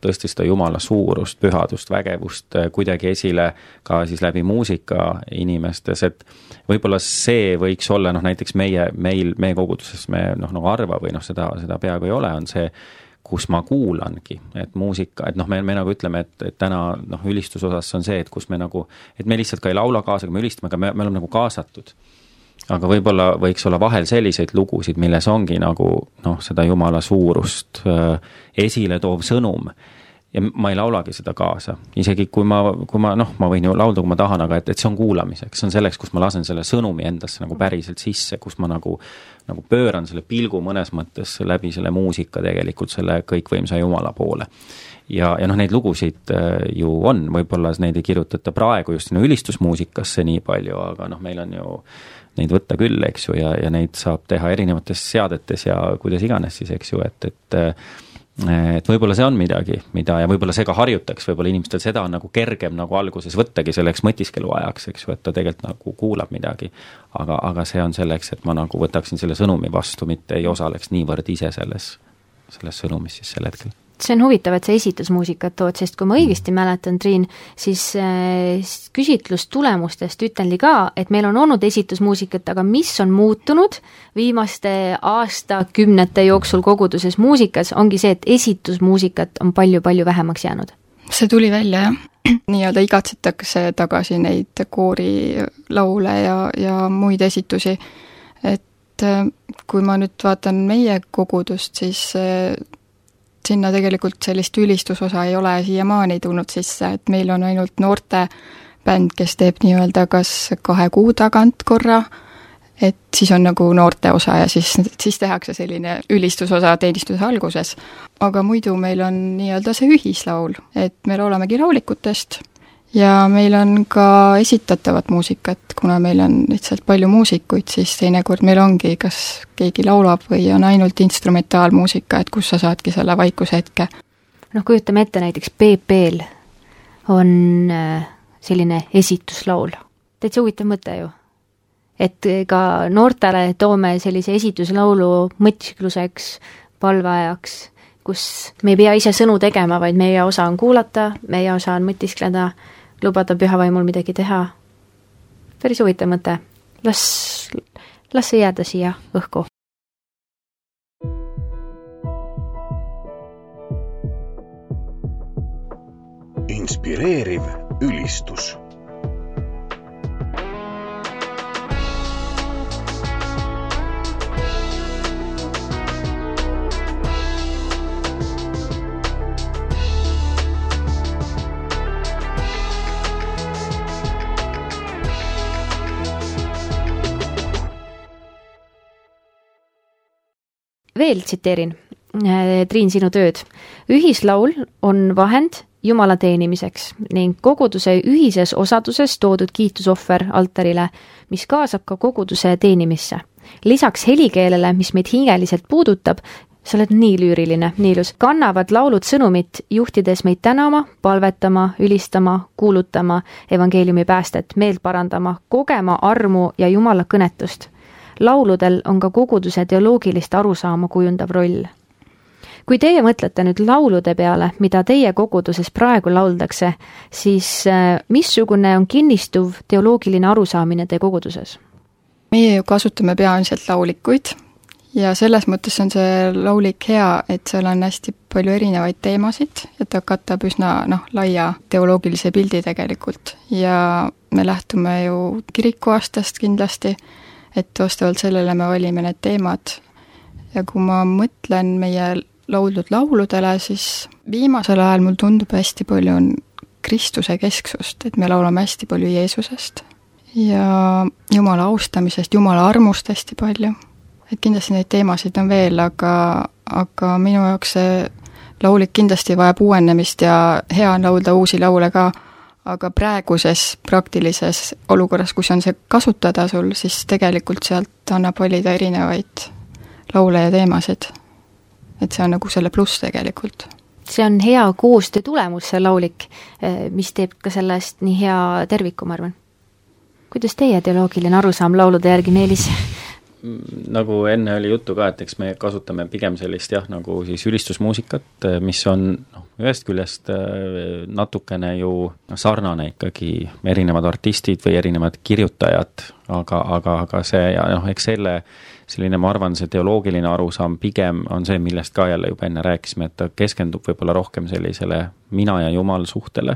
tõesti seda Jumala suurust, pühadust, vägevust kuidagi esile ka siis läbi muusika inimestes, et võib-olla see võiks olla noh, näiteks meie, meil, meie koguduses me noh, nagu arva või noh, seda, seda peaaegu ei ole, on see, kus ma kuulangi, et muusika, et noh, me, me nagu ütleme, et, et täna noh, ülistusosas on see, et kus me nagu, et me lihtsalt ka ei laula kaasa, me ülistame, aga me, me oleme nagu kaasatud. Aga võib-olla võiks olla vahel selliseid lugusid, milles ongi nagu noh, seda Jumala suurust äh, esile toov sõnum. Ja ma ei laulagi seda kaasa. Isegi kui ma, kui ma noh, ma võin ju laulda, kui ma tahan, aga et, et see on kuulamiseks. See on selleks, kus ma lasen selle sõnumi endasse nagu päriselt sisse, kus ma nagu, nagu pööran selle pilgu mõnes mõttes läbi selle muusika tegelikult selle kõikvõimsa Jumala poole. Ja, ja noh, neid lugusid ju on, võib-olla neid ei kirjutata praegu just sinu ülistusmuusikasse nii palju, aga noh, meil on ju neid võtta küll, eks ju, ja, ja neid saab teha erinevates seadetes ja kuidas iganes siis, eks ju, et, et et võib-olla see on midagi, mida ja võib-olla see ka harjutaks, võib-olla inimestel seda on nagu kergem nagu alguses võttagi selleks mõtiskelu ajaks, eks ju, et ta tegelikult nagu kuulab midagi, aga, aga see on selleks, et ma nagu võtaksin selle sõnumi vastu, mitte ei osaleks niivõrd ise selles, selles sõnumis siis sel hetkel. See on huvitav, et sa esitusmuusikat tood, sest kui ma õigesti mäletan, Triin, siis küsitlustulemustest ütlenli ka, et meil on olnud esitusmuusikat, aga mis on muutunud viimaste aastakümnete jooksul koguduses muusikas, ongi see, et esitusmuusikat on palju-palju vähemaks jäänud. See tuli välja, jah. Nii-öelda igatsetakse tagasi neid koorilaule ja, ja muid esitusi. Et kui ma nüüd vaatan meie kogudust, siis sinna tegelikult sellist ülistusosa ei ole siiamaani tulnud sisse, et meil on ainult noorte bänd, kes teeb nii-öelda kas kahe kuu tagant korra, et siis on nagu noorte osa ja siis, siis tehakse selline ülistusosa teenistuse alguses. Aga muidu meil on nii-öelda see ühislaul, et me laulamegi laulikutest ja meil on ka esitatavat muusikat, kuna meil on lihtsalt palju muusikuid, siis teinekord meil ongi, kas keegi laulab või on ainult instrumentaalmuusika, et kus sa saadki selle vaikuse hetke. Noh, kujutame ette näiteks P P-l on selline esituslaul. Täitsa huvitav mõte ju. Et ka noortele toome sellise esituslaulu mõtiskluseks, palveajaks, kus me ei pea ise sõnu tegema, vaid meie osa on kuulata, meie osa on mõtiskleda, lubada pühavaimul midagi teha. Päris huvitav mõte. Las, las see jääda siia õhku. inspireeriv ülistus. Veel tsiteerin, Triin, sinu tööd. Ühislaul on vahend Jumala teenimiseks ning koguduse ühises osaduses toodud kiitusohver altarile, mis kaasab ka koguduse teenimisse. Lisaks helikeelele, mis meid hingeliselt puudutab, sa oled nii lüüriline, nii ilus, kannavad laulud sõnumit, juhtides meid tänama, palvetama, ülistama, kuulutama, evangeeliumi päästet, meelt parandama, kogema armu ja Jumala kõnetust. Lauludel on ka koguduse teoloogilist arusaama kujundav roll. Kui teie mõtlete nüüd laulude peale, mida teie koguduses praegu lauldakse, siis missugune on kinnistuv teoloogiline arusaamine teie koguduses? Meie ju kasutame peamiselt laulikuid ja selles mõttes on see laulik hea, et seal on hästi palju erinevaid teemasid ja ta katab üsna noh, laia teoloogilise pildi tegelikult ja me lähtume ju kirikuaastast kindlasti, et vastavalt sellele me valime need teemad. Ja kui ma mõtlen meie lauldud lauludele, siis viimasel ajal mul tundub hästi palju on Kristuse kesksust, et me laulame hästi palju Jeesusest ja Jumala austamisest, Jumala armust hästi palju. Et kindlasti neid teemasid on veel, aga, aga minu jaoks see laulik kindlasti vajab uuenemist ja hea on laulda uusi laule ka, aga praeguses praktilises olukorras, kus on see kasutada sul, siis tegelikult sealt annab valida erinevaid laule ja teemasid. Et see on nagu selle pluss tegelikult. See on hea koostöö tulemus, see laulik, mis teeb ka sellest nii hea terviku, ma arvan. Kuidas teie teoloogiline arusaam laulude järgi, Meelis? Nagu enne oli juttu ka, et eks me kasutame pigem sellist jah, nagu siis ülistusmuusikat, mis on noh, ühest küljest natukene ju sarnane ikkagi erinevad artistid või erinevad kirjutajad, aga, aga, aga see ja noh, eks selle selline, ma arvan, see teoloogiline arusaam pigem on see, millest ka jälle juba enne rääkisime, et ta keskendub võib-olla rohkem sellisele mina ja Jumal suhtele,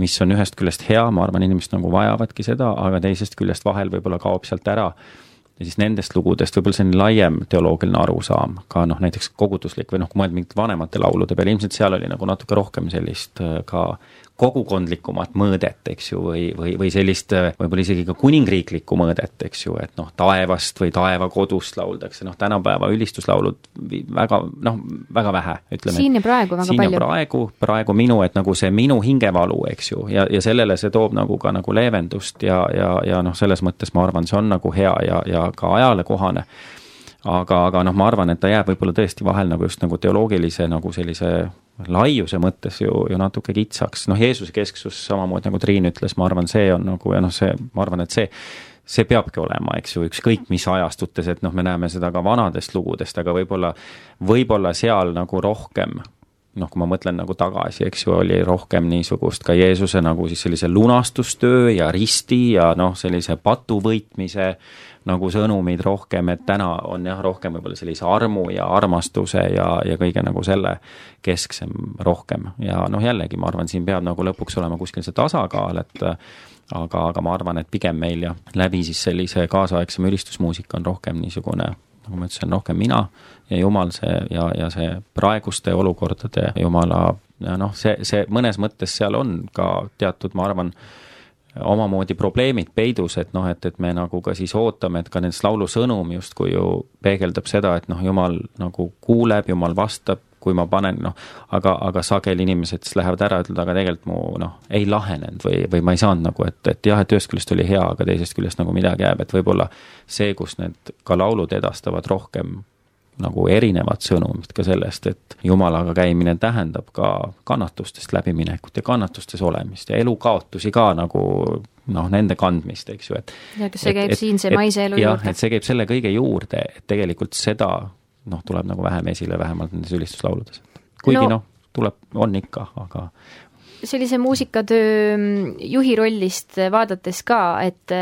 mis on ühest küljest hea, ma arvan, inimesed nagu vajavadki seda, aga teisest küljest vahel võib-olla kaob sealt ära ja siis nendest lugudest võib-olla selline laiem teoloogiline arusaam, ka noh, näiteks koguduslik või noh, kui mõelda mingit vanemate laulude peale, ilmselt seal oli nagu natuke rohkem sellist ka kogukondlikumat mõõdet, eks ju, või, või, või sellist võib-olla isegi ka kuningriiklikku mõõdet, eks ju, et noh, taevast või taevakodust lauldakse, noh, tänapäeva ülistuslaulud väga, noh, väga vähe, ütleme. Siin ja praegu väga siin palju. Ja praegu, praegu minu, et nagu see minu hingevalu, eks ju, ja, ja sellele see toob nagu ka nagu leevendust ja, ja, ja noh, selles mõttes ma arvan, see on nagu hea ja, ja ka ajale kohane. Aga, aga noh, ma arvan, et ta jääb võib-olla tõesti vahel nagu just nagu teoloogilise nagu sellise laiuse mõttes ju, ju natuke kitsaks. Noh, Jeesuse kesksus samamoodi nagu Triin ütles, ma arvan, see on nagu, ja noh, see, ma arvan, et see, see peabki olema, eks ju, ükskõik mis ajastutes, et noh, me näeme seda ka vanadest lugudest, aga võib-olla, võib-olla seal nagu rohkem, noh, kui ma mõtlen nagu tagasi, eks ju, oli rohkem niisugust ka Jeesuse nagu siis sellise lunastustöö ja risti ja noh, sellise patu võitmise nagu sõnumid rohkem, et täna on jah, rohkem võib-olla sellise armu ja armastuse ja, ja kõige nagu selle kesksem rohkem. Ja noh, jällegi ma arvan, siin peab nagu lõpuks olema kuskil see tasakaal, et aga, aga ma arvan, et pigem meil ja läbi siis sellise kaasaegsem ülistusmuusika on rohkem niisugune, nagu ma ütlesin, rohkem mina ja Jumal see ja, ja see praeguste olukordade Jumala, ja noh, see, see mõnes mõttes seal on ka teatud, ma arvan, omamoodi probleemid peidus, et noh, et, et me nagu ka siis ootame, et ka nendest laulu sõnum justkui ju peegeldab seda, et noh, Jumal nagu kuuleb, Jumal vastab, kui ma panen, noh, aga, aga sageli inimesed lähevad ära, ütlevad, aga tegelikult mu, noh, ei lahenenud või, või ma ei saanud nagu, et, et jah, et ühest küljest oli hea, aga teisest küljest nagu midagi jääb, et võib-olla see, kus need ka laulud edastavad rohkem nagu erinevad sõnumid ka sellest, et Jumalaga käimine tähendab ka kannatustest läbiminekut ja kannatustes olemist ja elukaotusi ka nagu noh, nende kandmist, eks ju, et ja kas see käib et, siin see maise elu jah, juurde? Et see käib selle kõige juurde, et tegelikult seda noh, tuleb nagu vähem esile, vähemalt nendes ülistuslauludes. Kuigi no, noh, tuleb, on ikka, aga sellise muusikatöö juhi rollist vaadates ka, et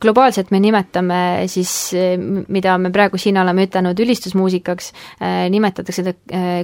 globaalselt me nimetame siis, mida me praegu siin oleme ütelnud ülistusmuusikaks, nimetatakse seda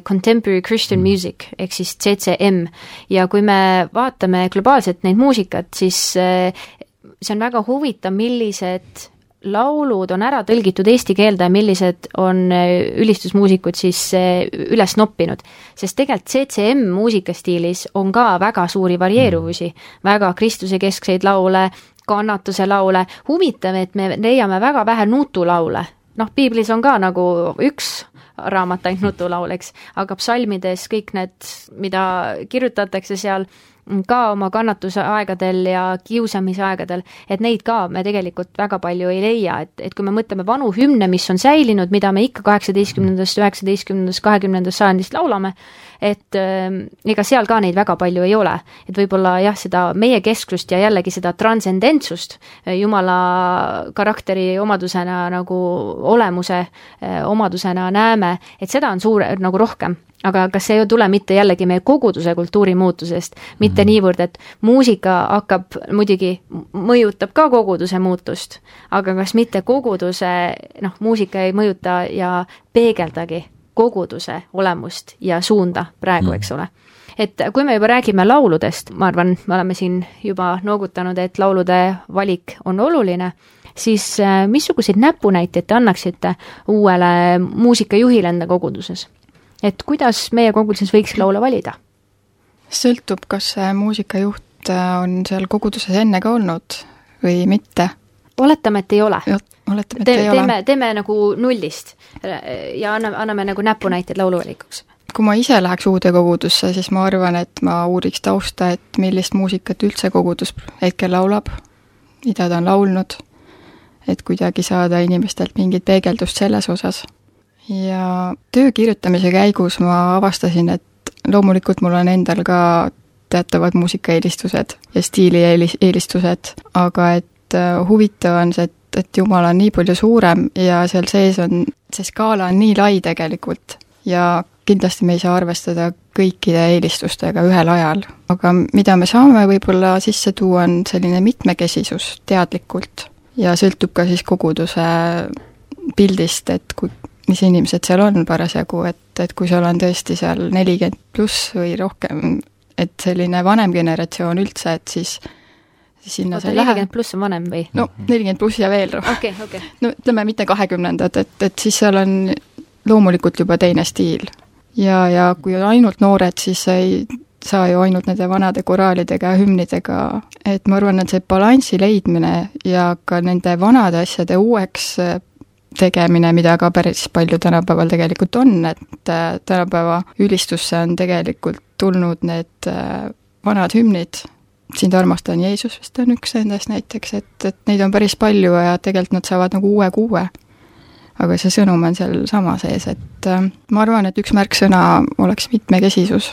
Contemporary Christian Music, ehk siis C C M. Ja kui me vaatame globaalselt neid muusikat, siis see on väga huvitav, millised laulud on ära tõlgitud eesti keelde ja millised on ülistusmuusikud siis üles noppinud. Sest tegelikult C C M muusikastiilis on ka väga suuri varieeruvusi, väga Kristuse keskseid laule, kannatuse laule. Huvitav, et me leiame väga vähe nutulaule. Noh, piiblis on ka nagu üks raamat ainult nutulaul, eks, aga psalmides kõik need, mida kirjutatakse seal, ka oma kannatuse aegadel ja kiusamise aegadel, et neid ka me tegelikult väga palju ei leia, et, et kui me mõtleme vanu hümne, mis on säilinud, mida me ikka kaheksateistkümnendast, üheksateistkümnendast, kahekümnendast sajandist laulame, et äh, ega seal ka neid väga palju ei ole. Et võib-olla jah, seda meie kesksust ja jällegi seda transcendentsust Jumala karakteri omadusena nagu olemuse äh, omadusena näeme, et seda on suur nagu rohkem. Aga kas see ei tule mitte jällegi meie koguduse kultuuri muutusest, mitte mm-hmm. niivõrd, et muusika hakkab, muidugi mõjutab ka koguduse muutust, aga kas mitte koguduse, noh, muusika ei mõjuta ja peegeldagi koguduse olemust ja suunda praegu, eks ole. Et kui me juba räägime lauludest, ma arvan, me oleme siin juba noogutanud, et laulude valik on oluline, siis missuguseid näpunäiteid te annaksite uuele muusikajuhile enda koguduses? Et kuidas meie koguduses võiks laule valida? Sõltub, kas see muusikajuht on seal koguduses enne ka olnud või mitte. Oletame, et ei ole. Oletame, et Te, ei teeme, ole. Teeme nagu nullist ja anname, anname nagu näpunäited lauluvalikuks. Kui ma ise läheks uude kogudusse, siis ma arvan, et ma uuriks tausta, et millist muusikat üldse kogudus hetkel laulab, mida ta on laulnud, et kuidagi saada inimestelt mingit peegeldust selles osas. Ja töö kirjutamise käigus ma avastasin, et loomulikult mul on endal ka teatavad muusikaeelistused ja stiilieelistused, aga et huvitav on see, et, et Jumal on nii palju suurem ja seal sees on, see skaala on nii lai tegelikult ja kindlasti me ei saa arvestada kõikide eelistustega ühel ajal. Aga mida me saame võib-olla sisse tuua, on selline mitmekesisus teadlikult ja sõltub ka siis koguduse pildist, et kui mis inimesed seal on parasjagu, et, et kui seal on tõesti seal nelikümmend pluss või rohkem, et selline vanem generatsioon üldse, et siis, siis sinna Oota, nelikümmend pluss on vanem või? No, nelikümmend pluss ja veel rohkem. Okay, okay. No ütleme mitte kahekümnendad, et, et siis seal on loomulikult juba teine stiil. Ja, ja kui on ainult noored, siis ei saa ju ainult nende vanade koraalidega ja hümnidega, et ma arvan, et see balansi leidmine ja ka nende vanade asjade uueks tegemine, mida ka päris palju tänapäeval tegelikult on, et tänapäeva ülistusse on tegelikult tulnud need vanad hümnid, sind armastan Jeesus, vist on üks endast näiteks, et, et neid on päris palju ja tegelikult nad saavad nagu uue kuue. Aga see sõnum on seal sama sees, et ma arvan, et üks märksõna oleks mitmekesisus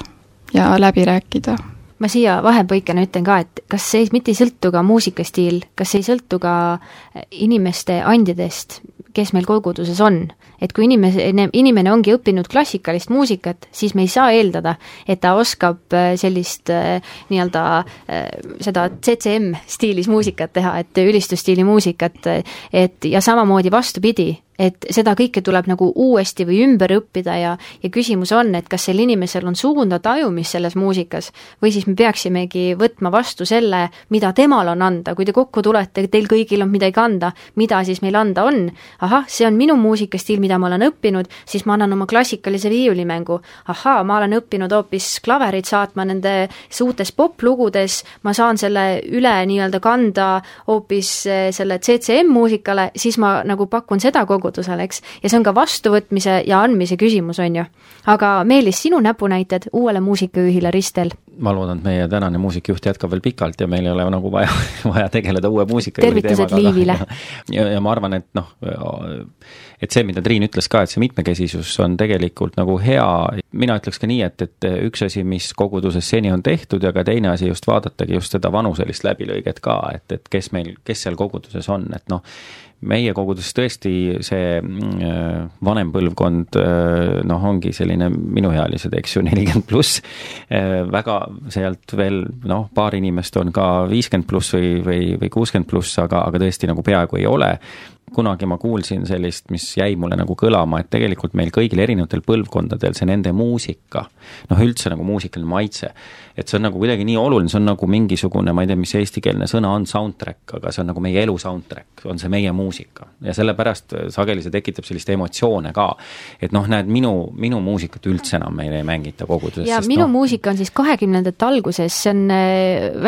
ja läbi rääkida. Ma siia vahepõikena ütlen ka, et kas see mitte ei sõltu ka muusikastiil, kas ei sõltu ka inimeste andidest, kes meil koguduses on. Et kui inimene, inimene ongi õppinud klassikalist muusikat, siis me ei saa eeldada, et ta oskab sellist nii-öelda seda C C M stiilis muusikat teha, et ülistusstiili muusikat, et ja samamoodi vastupidi, et seda kõike tuleb nagu uuesti või ümber õppida ja, ja küsimus on, et kas sel inimesel on suunda tajumist selles muusikas või siis me peaksimegi võtma vastu selle, mida temal on anda. Kui te kokku tulete, teil kõigil on midagi anda, mida siis meil anda on? Ahah, see on minu muusikastiil, mida ma olen õppinud, siis ma annan oma klassikalise viiulimängu. Ahaa, ma olen õppinud hoopis klaverit saatma nende suutes poplugudes, ma saan selle üle nii-öelda kanda hoopis selle C C M muusikale, siis ma nagu pakun seda kogu eks. Ja see on ka vastuvõtmise ja andmise küsimus, on ju. Aga Meelis, sinu näpunäited uuele muusikajuhile Ristel? Ma loodan, et meie tänane muusikajuht jätkab veel pikalt ja meil ei ole nagu vaja, vaja tegeleda uue muusikajuhi teemaga. Tervitused Liivile. Ja, ja ma arvan, et noh, et see, mida Triin ütles ka, et see mitmekesisus on tegelikult nagu hea. Mina ütleks ka nii, et, et üks asi, mis koguduses seni on tehtud ja ka teine asi just vaadatagi just seda vanuselist läbilõiget ka, et, et kes meil, kes seal koguduses on, et noh, meie koguduses tõesti see vanem põlvkond noh, ongi selline minuealised, eks ju, nelikümmend pluss, väga, sealt veel noh, paar inimest on ka viiskümmend pluss või, või, või kuuskümmend pluss, aga, aga tõesti nagu peaaegu ei ole. Kunagi ma kuulsin sellist, mis jäi mulle nagu kõlama, et tegelikult meil kõigil erinevatel põlvkondadel see nende muusika, noh üldse nagu muusikaline maitse, et see on nagu kuidagi nii oluline, see on nagu mingisugune, ma ei tea, mis eestikeelne sõna on soundtrack, aga see on nagu meie elu soundtrack, on see meie muusika. Ja sellepärast sageli see tekitab sellist emotsioone ka, et noh, näed, minu, minu muusikat üldse enam meile ei mängita koguduses. Ja minu no, muusika on siis kahekümnendate alguses, see on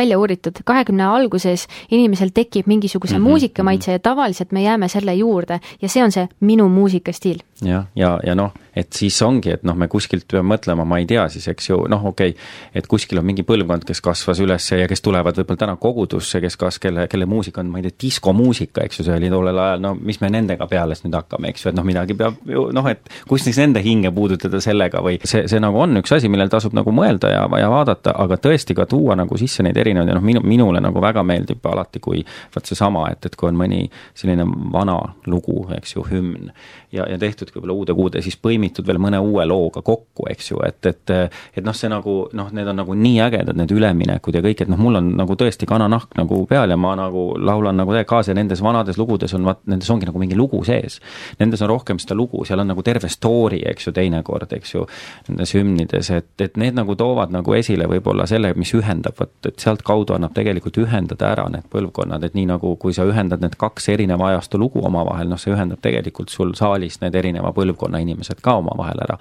välja uuritud, kahekümne alguses inimesel tekib mingisuguse mm-hmm, muusikamaitse mm-hmm. ja tavaliselt me jääme selle juurde ja see on see minu muusikastiil. Ja, ja, ja noh, et siis ongi, et noh, me kuskilt peame mõtlema, ma ei tea siis, eks ju, noh okei, okay, et kuskil on mingi põlvkond, kes kasvas üles ja kes tulevad võib-olla täna kogudusse, kes kas, kelle, kelle muusika on, ma ei tea, diskomuusika, eks ju, see oli tollel ajal, no mis me nendega peales nüüd hakkame, eks ju, et noh, midagi peab ju, noh, et kus siis nende hinge puudutada sellega või see, see nagu on üks asi, millel tasub nagu mõelda ja, ja vaadata, aga tõesti ka tuua nagu sisse neid erinevaid ja noh, minu, minule nagu väga meeldib alati, kui vaat see sama, et, et kui on mõni selline vana lugu, eks ju, hümn ja, ja tehtud võib-olla uude kuude, siis põimitud veel mõne uue looga kokku, eks ju, et, et, et noh, see nagu, noh, need on nagu nii ägedad, need üleminekud ja kõik, et noh, mul on nagu tõesti kananahk nagu peal ja ma nagu laulan nagu kaasa ja nendes vanades lugudes on, vaat, nendes ongi nagu mingi lugu sees. Nendes on rohkem seda lugu, seal on nagu terve story, eks ju, teinekord, eks ju, nendes hümnides, et, et need nagu toovad nagu esile võib-olla selle, mis ühendab, vaat, et sealt kaudu annab tegelikult ühendada ära need põlvkonnad, et nii nagu, kui sa ühendad need kaks erineva ajastu lugu omavahel, noh, see ühendab tegelikult sul saalis need erineva põlvkonna inimesed ka omavahel ära.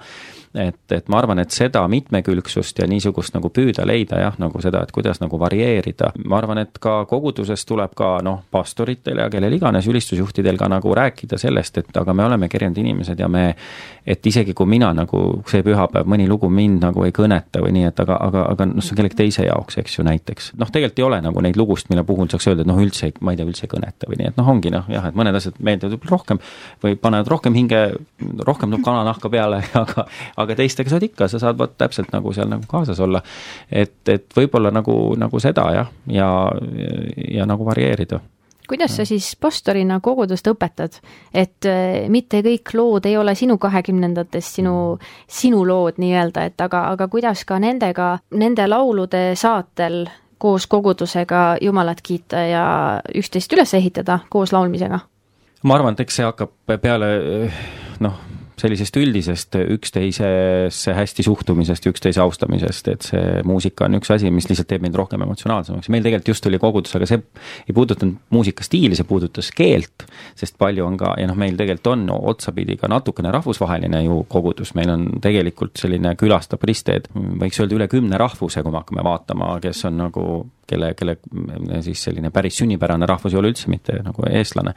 Et, et ma arvan, et seda mitmekülgsust ja niisugust nagu püüda leida, jah, nagu seda, et kuidas nagu varieerida. Ma arvan, et ka koguduses tuleb ka, noh, pastoritel ja kellel iganes ülistusjuhtidel ka nagu rääkida sellest, et aga me oleme erinevad inimesed ja me, et isegi kui mina nagu see pühapäev, mõni lugu mind nagu ei kõneta või nii, et aga, aga, aga noh, see on kellegi teise jaoks, eks ju, näiteks. Noh, tegelikult ei ole nagu neid lugust, mille puhul saaks öelda, et noh, üldse, ma ei tea, üldse ei kõneta või nii, et noh, ongi noh, jah, et mõned asjad meeldivad rohkem või panevad rohkem hinge, rohkem tuleb kananahka peale, aga, aga teistega saad ikka, sa saad vaat täpselt nagu seal nagu kaasas olla. Et, et võib-olla nagu, nagu seda, jah, ja, ja nagu varieerida. Kuidas sa siis pastorina kogudust õpetad, et mitte kõik lood ei ole sinu kahekümnendatest, sinu, sinu lood nii-öelda, et aga, aga kuidas ka nendega, nende laulude saatel koos kogudusega Jumalat kiita ja üksteist üles ehitada koos laulmisega? Ma arvan, et eks see hakkab peale, noh, sellisest üldisest üksteisesse hästi suhtumisest ja üksteise austamisest, et see muusika on üks asi, mis lihtsalt teeb meid rohkem emotsionaalsemaks. Meil tegelikult just oli kogudus, aga see ei puudutanud muusikastiili, see puudutas keelt, sest palju on ka, ja noh, meil tegelikult on no, otsapidi ka natukene rahvusvaheline ju kogudus, meil on tegelikult selline külastab risteed, võiks öelda üle kümne rahvuse, kui me hakkame vaatama, kes on nagu, kelle, kelle siis selline päris sünnipärane rahvus ei ole üldse mitte nagu eestlane.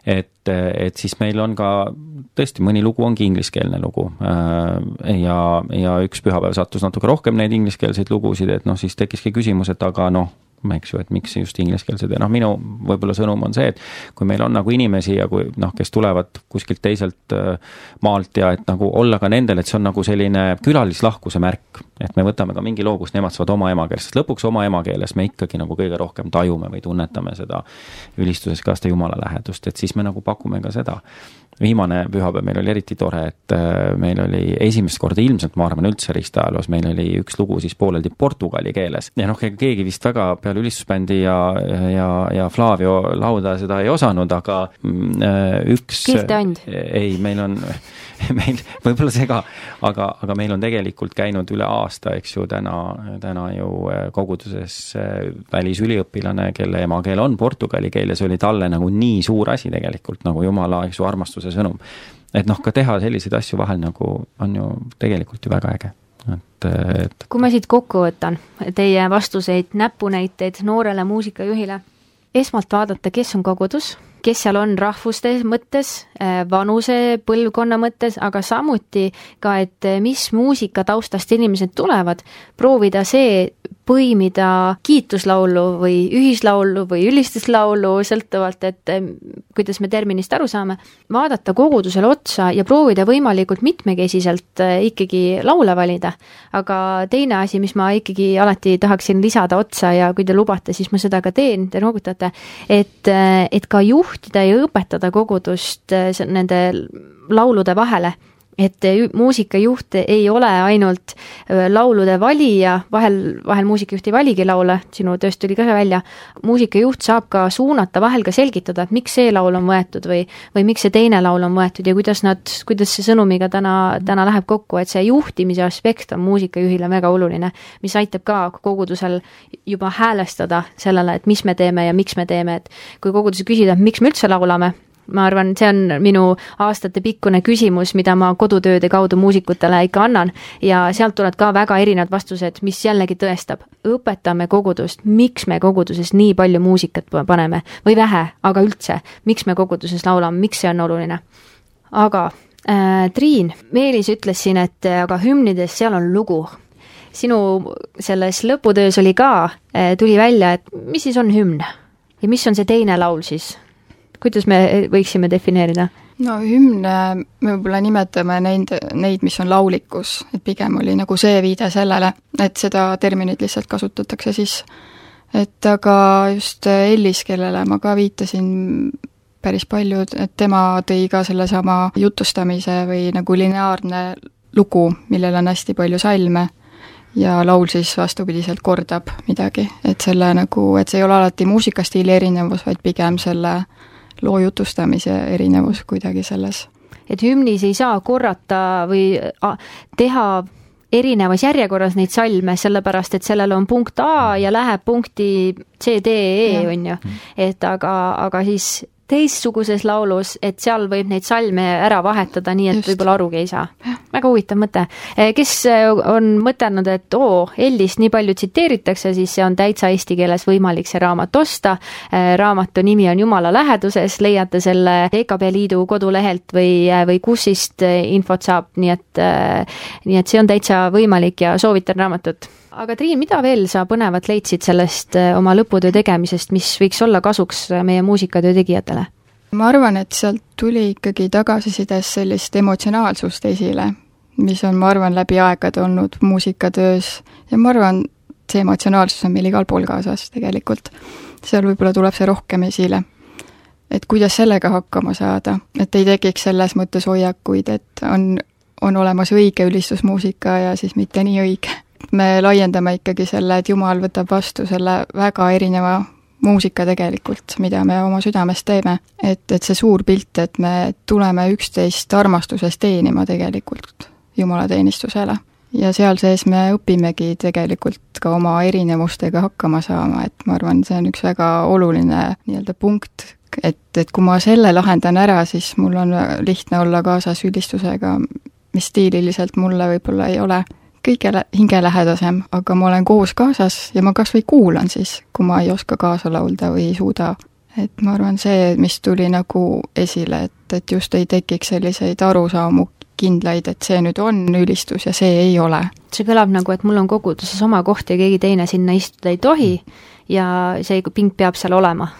Et, et siis meil on ka tõesti mõni lugu ongi ingliskeelne lugu ja, ja üks pühapäev sattus natuke rohkem neid ingliskeelseid lugusid, et noh, siis tekkiski küsimus, et aga noh, eks ju, et miks just ingliskeelsed ja noh, minu võib-olla sõnum on see, et kui meil on nagu inimesi ja kui noh, kes tulevad kuskilt teiselt maalt ja et nagu olla ka nendel, et see on nagu selline külalislahkuse märk, et me võtame ka mingi loo, kus nemad saavad oma emakeeles, sest lõpuks oma emakeeles me ikkagi nagu kõige rohkem tajume või tunnetame seda ülistuses ka seda Jumala lähedust, et siis me nagu pakume ka seda. Viimane pühapäev meil oli eriti tore, et meil oli esimest korda ilmselt, ma arvan, üldse ristaajaloos, meil oli üks lugu siis pooleldi portugali keeles. Ja noh, keegi vist väga peale ülistusbändi ja, ja, ja Flavio lauda seda ei osanud, aga üks... Kilteand. Ei, meil on... meil võib-olla see ka, aga, aga meil on tegelikult käinud üle aasta, eks ju, täna, täna ju koguduses välisüliõpilane, kelle emakeel on portugali keel ja see oli talle nagu nii suur asi tegelikult, nagu Jumala, eks ju, armastuse sõnum. Et noh, ka teha selliseid asju vahel nagu on ju tegelikult ju väga äge. Et, et... Kui ma siit kokku võtan teie vastuseid, näpunäiteid noorele muusikajuhile, esmalt vaadata, kes on kogudus, kes seal on rahvuste mõttes, vanuse, põlvkonna mõttes, aga samuti ka, et mis muusika taustast inimesed tulevad, proovida see põimida kiituslaulu või ühislaulu või ülistuslaulu, sõltuvalt, et kuidas me terminist aru saame, vaadata kogudusele otsa ja proovida võimalikult mitmekesiselt ikkagi laule valida. Aga teine asi, mis ma ikkagi alati tahaksin lisada otsa ja kui te lubate, siis ma seda ka teen, te noogutate, et, et ka juhtida ja õpetada kogudust nende laulude vahele et muusikajuht ei ole ainult laulude valija, vahel, vahel muusikajuht ei valigi laule, sinu tööst tuli ka see välja, muusikajuht saab ka suunata, vahel ka selgitada, et miks see laul on võetud või, või miks see teine laul on võetud ja kuidas nad, kuidas see sõnumiga täna, täna läheb kokku, et see juhtimise aspekt on muusikajuhile väga oluline, mis aitab ka kogudusel juba häälestada sellele, et mis me teeme ja miks me teeme, et kui koguduse küsida, miks me üldse laulame, ma arvan, see on minu aastate pikkune küsimus, mida ma kodutööde kaudu muusikutele ikka annan ja sealt tulevad ka väga erinevad vastused, mis jällegi tõestab. Õpetame kogudust, miks me koguduses nii palju muusikat paneme või vähe, aga üldse, miks me koguduses laulame, miks see on oluline. Aga äh, Triin, Meelis ütles siin, et aga hümnides seal on lugu. Sinu selles lõputöös oli ka, äh, tuli välja, et mis siis on hümn ja mis on see teine laul siis? Kuidas me võiksime defineerida? No hümne me võib-olla nimetame neid, neid, mis on laulikus, et pigem oli nagu see viide sellele, et seda terminit lihtsalt kasutatakse siis. Et aga just Ellis, kellele ma ka viitasin päris palju, et tema tõi ka selle sama jutustamise või nagu lineaarne lugu, millel on hästi palju salme ja laul siis vastupidiselt kordab midagi, et selle nagu, et see ei ole alati muusikastiili erinevus, vaid pigem selle loo jutustamise erinevus kuidagi selles. Et hümnis ei saa korrata või teha erinevas järjekorras neid salme, sellepärast, et sellel on punkt A ja läheb punkti C, D, E, on ju. Et aga, aga siis teistsuguses laulus, et seal võib neid salme ära vahetada, nii et Just. Võib-olla arugi ei saa. Väga huvitav mõte. Kes on mõtelnud, et oo, Ellist nii palju tsiteeritakse, siis see on täitsa eesti keeles võimalik see raamat osta. Raamatu nimi on Jumala läheduses, leiate selle E K B Liidu kodulehelt või, või kussist infot saab, nii et, nii et see on täitsa võimalik ja soovitan raamatut. Aga Triin, mida veel sa põnevat leidsid sellest oma lõputöö tegemisest, mis võiks olla kasuks meie muusikatöö tegijatele? Ma arvan, et sealt tuli ikkagi tagasisides sellist emotsionaalsust esile, mis on, ma arvan, läbi aegade olnud muusikatöös ja ma arvan, see emotsionaalsus on meil igal pool kaasas tegelikult. Seal võib-olla tuleb see rohkem esile. Et kuidas sellega hakkama saada, et ei tekiks selles mõttes hoiakuid, et on, on olemas õige ülistusmuusika ja siis mitte nii õige. Me laiendame ikkagi selle, et Jumal võtab vastu selle väga erineva muusika tegelikult, mida me oma südames teeme. Et, et see suur pilt, et me tuleme üksteist armastuses teenima tegelikult Jumala teenistusele. Ja seal sees me õpimegi tegelikult ka oma erinevustega hakkama saama, et ma arvan, see on üks väga oluline nii-öelda punkt, et, et kui ma selle lahendan ära, siis mul on lihtne olla kaasas ülistusega, mis stiililiselt mulle võib-olla ei ole kõige hingelähedasem, aga ma olen koos kaasas ja ma kas või kuulan siis, kui ma ei oska kaasa laulda või ei suuda. Et ma arvan see, mis tuli nagu esile, et, et just ei tekiks selliseid arusaamu kindlaid, et see nüüd on ülistus ja see ei ole. See kõlab nagu, et mul on koguduses oma koht ja keegi teine sinna istuda ei tohi ja see ping peab seal olema.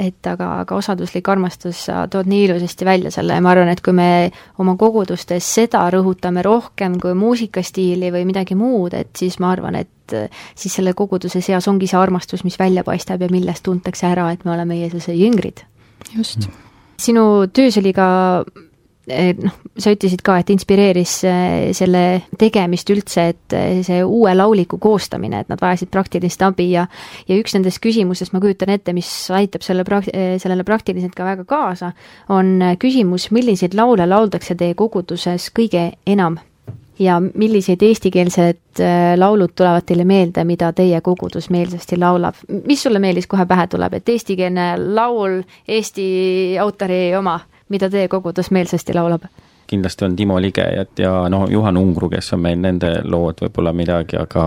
Et aga, aga osaduslik armastus sa tood nii ilusasti välja selle ja ma arvan, et kui me oma kogudustes seda rõhutame rohkem kui muusikastiili või midagi muud, et siis ma arvan, et siis selle koguduse seas ongi see armastus, mis välja paistab ja millest tuntakse ära, et me oleme Jeesuse jüngrid. Just. Sinu töös oli ka noh, sa ütlesid ka, et inspireeris selle tegemist üldse, et see uue lauliku koostamine, et nad vajasid praktilist abi ja, ja üks nendest küsimusest, ma kujutan ette, mis aitab selle prakt- sellele praktiliselt ka väga kaasa, on küsimus, milliseid laule lauldakse teie koguduses kõige enam ja milliseid eestikeelsed laulud tulevad teile meelde, mida teie kogudus meelsasti laulab. Mis sulle meeldis kohe pähe tuleb, et eestikeelne laul, Eesti autori oma, mida teie kogudus meelsasti laulab? Kindlasti on Timo Ligejat ja no, Juhan Ungru, kes on meil nende lood võib-olla midagi, aga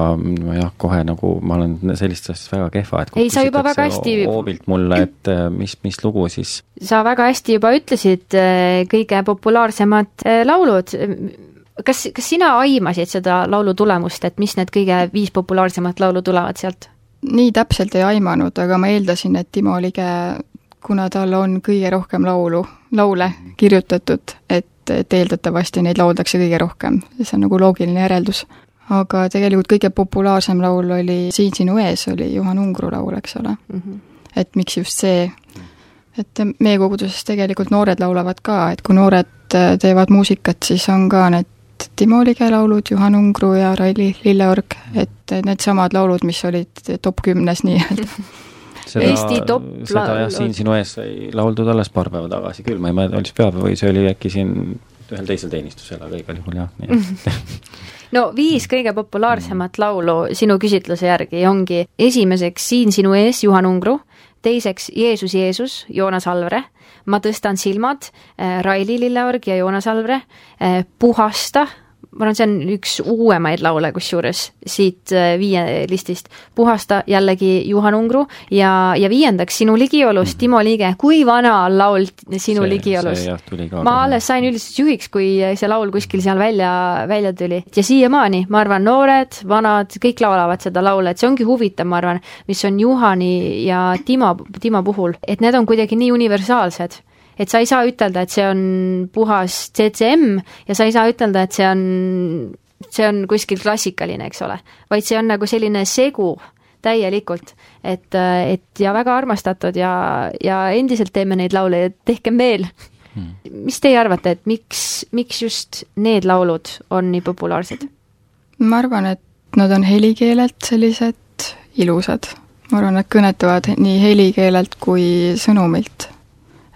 jah, kohe nagu ma olen sellist asjast väga kehva, et ei, sa juba väga hästi hoobilt mulle, et mis, mis lugu siis? Sa väga hästi juba ütlesid kõige populaarsemad laulud. Kas, kas sina aimasid seda laulu tulemust, et mis need kõige viis populaarsemat laulu tulevad sealt? Nii täpselt ei aimanud, aga ma eeldasin, et Timo Lige, kuna tal on kõige rohkem laulu, laule kirjutatud, et, et eeldatavasti neid lauldakse kõige rohkem. See on nagu loogiline järeldus. Aga tegelikult kõige populaarsem laul oli Siin sinu ees, oli Juhan Ungru laul, eks ole. Mm-hmm. Et miks just see, et meie koguduses tegelikult noored laulavad ka, et kui noored teevad muusikat, siis on ka need Timo Lige laulud, Juhan Ungru ja Raili Lilleorg, et need samad laulud, mis olid top kümnes nii-öelda. Seda, Eesti top seda jah, siin sinu ees sai lauldud alles paar päeva tagasi küll, ma ei mõelda, oli see peab või see oli äkki siin ühel teisel teenistusel, aga igal juhul jah. Nii. No viis kõige populaarsemat laulu sinu küsitluse järgi ongi esimeseks Siin sinu ees, Juhan Ungru, teiseks Jeesus, Jeesus, Joonas Alvre, Ma tõstan silmad, Raili Lilleorg ja Joonas Alvre, Puhasta, ma arvan, see on üks uuemaid laule kusjuures siit viie listist, Puhasta jällegi Juhan Ungru ja, ja viiendaks Sinu ligiolus, Timo Lige, kui vana on laul Sinu see, ligiolus? Ma alles sain üldistusjuhiks, kui see laul kuskil seal välja, välja tuli ja siiamaani, ma arvan, noored, vanad, kõik laulavad seda laule, et see ongi huvitav, ma arvan, mis on Juhani ja Timo, Timo puhul, et need on kuidagi nii universaalsed. Et sa ei saa ütelda, et see on puhas C C M ja sa ei saa ütelda, et see on, see on kuskil klassikaline, eks ole, vaid see on nagu selline segu täielikult, et, et ja väga armastatud ja, ja endiselt teeme neid laule ja tehkem veel. Hmm. Mis teie arvate, et miks, miks just need laulud on nii populaarsed? Ma arvan, et nad on helikeelelt sellised ilusad. Ma arvan, et kõnetavad nii helikeelelt kui sõnumilt.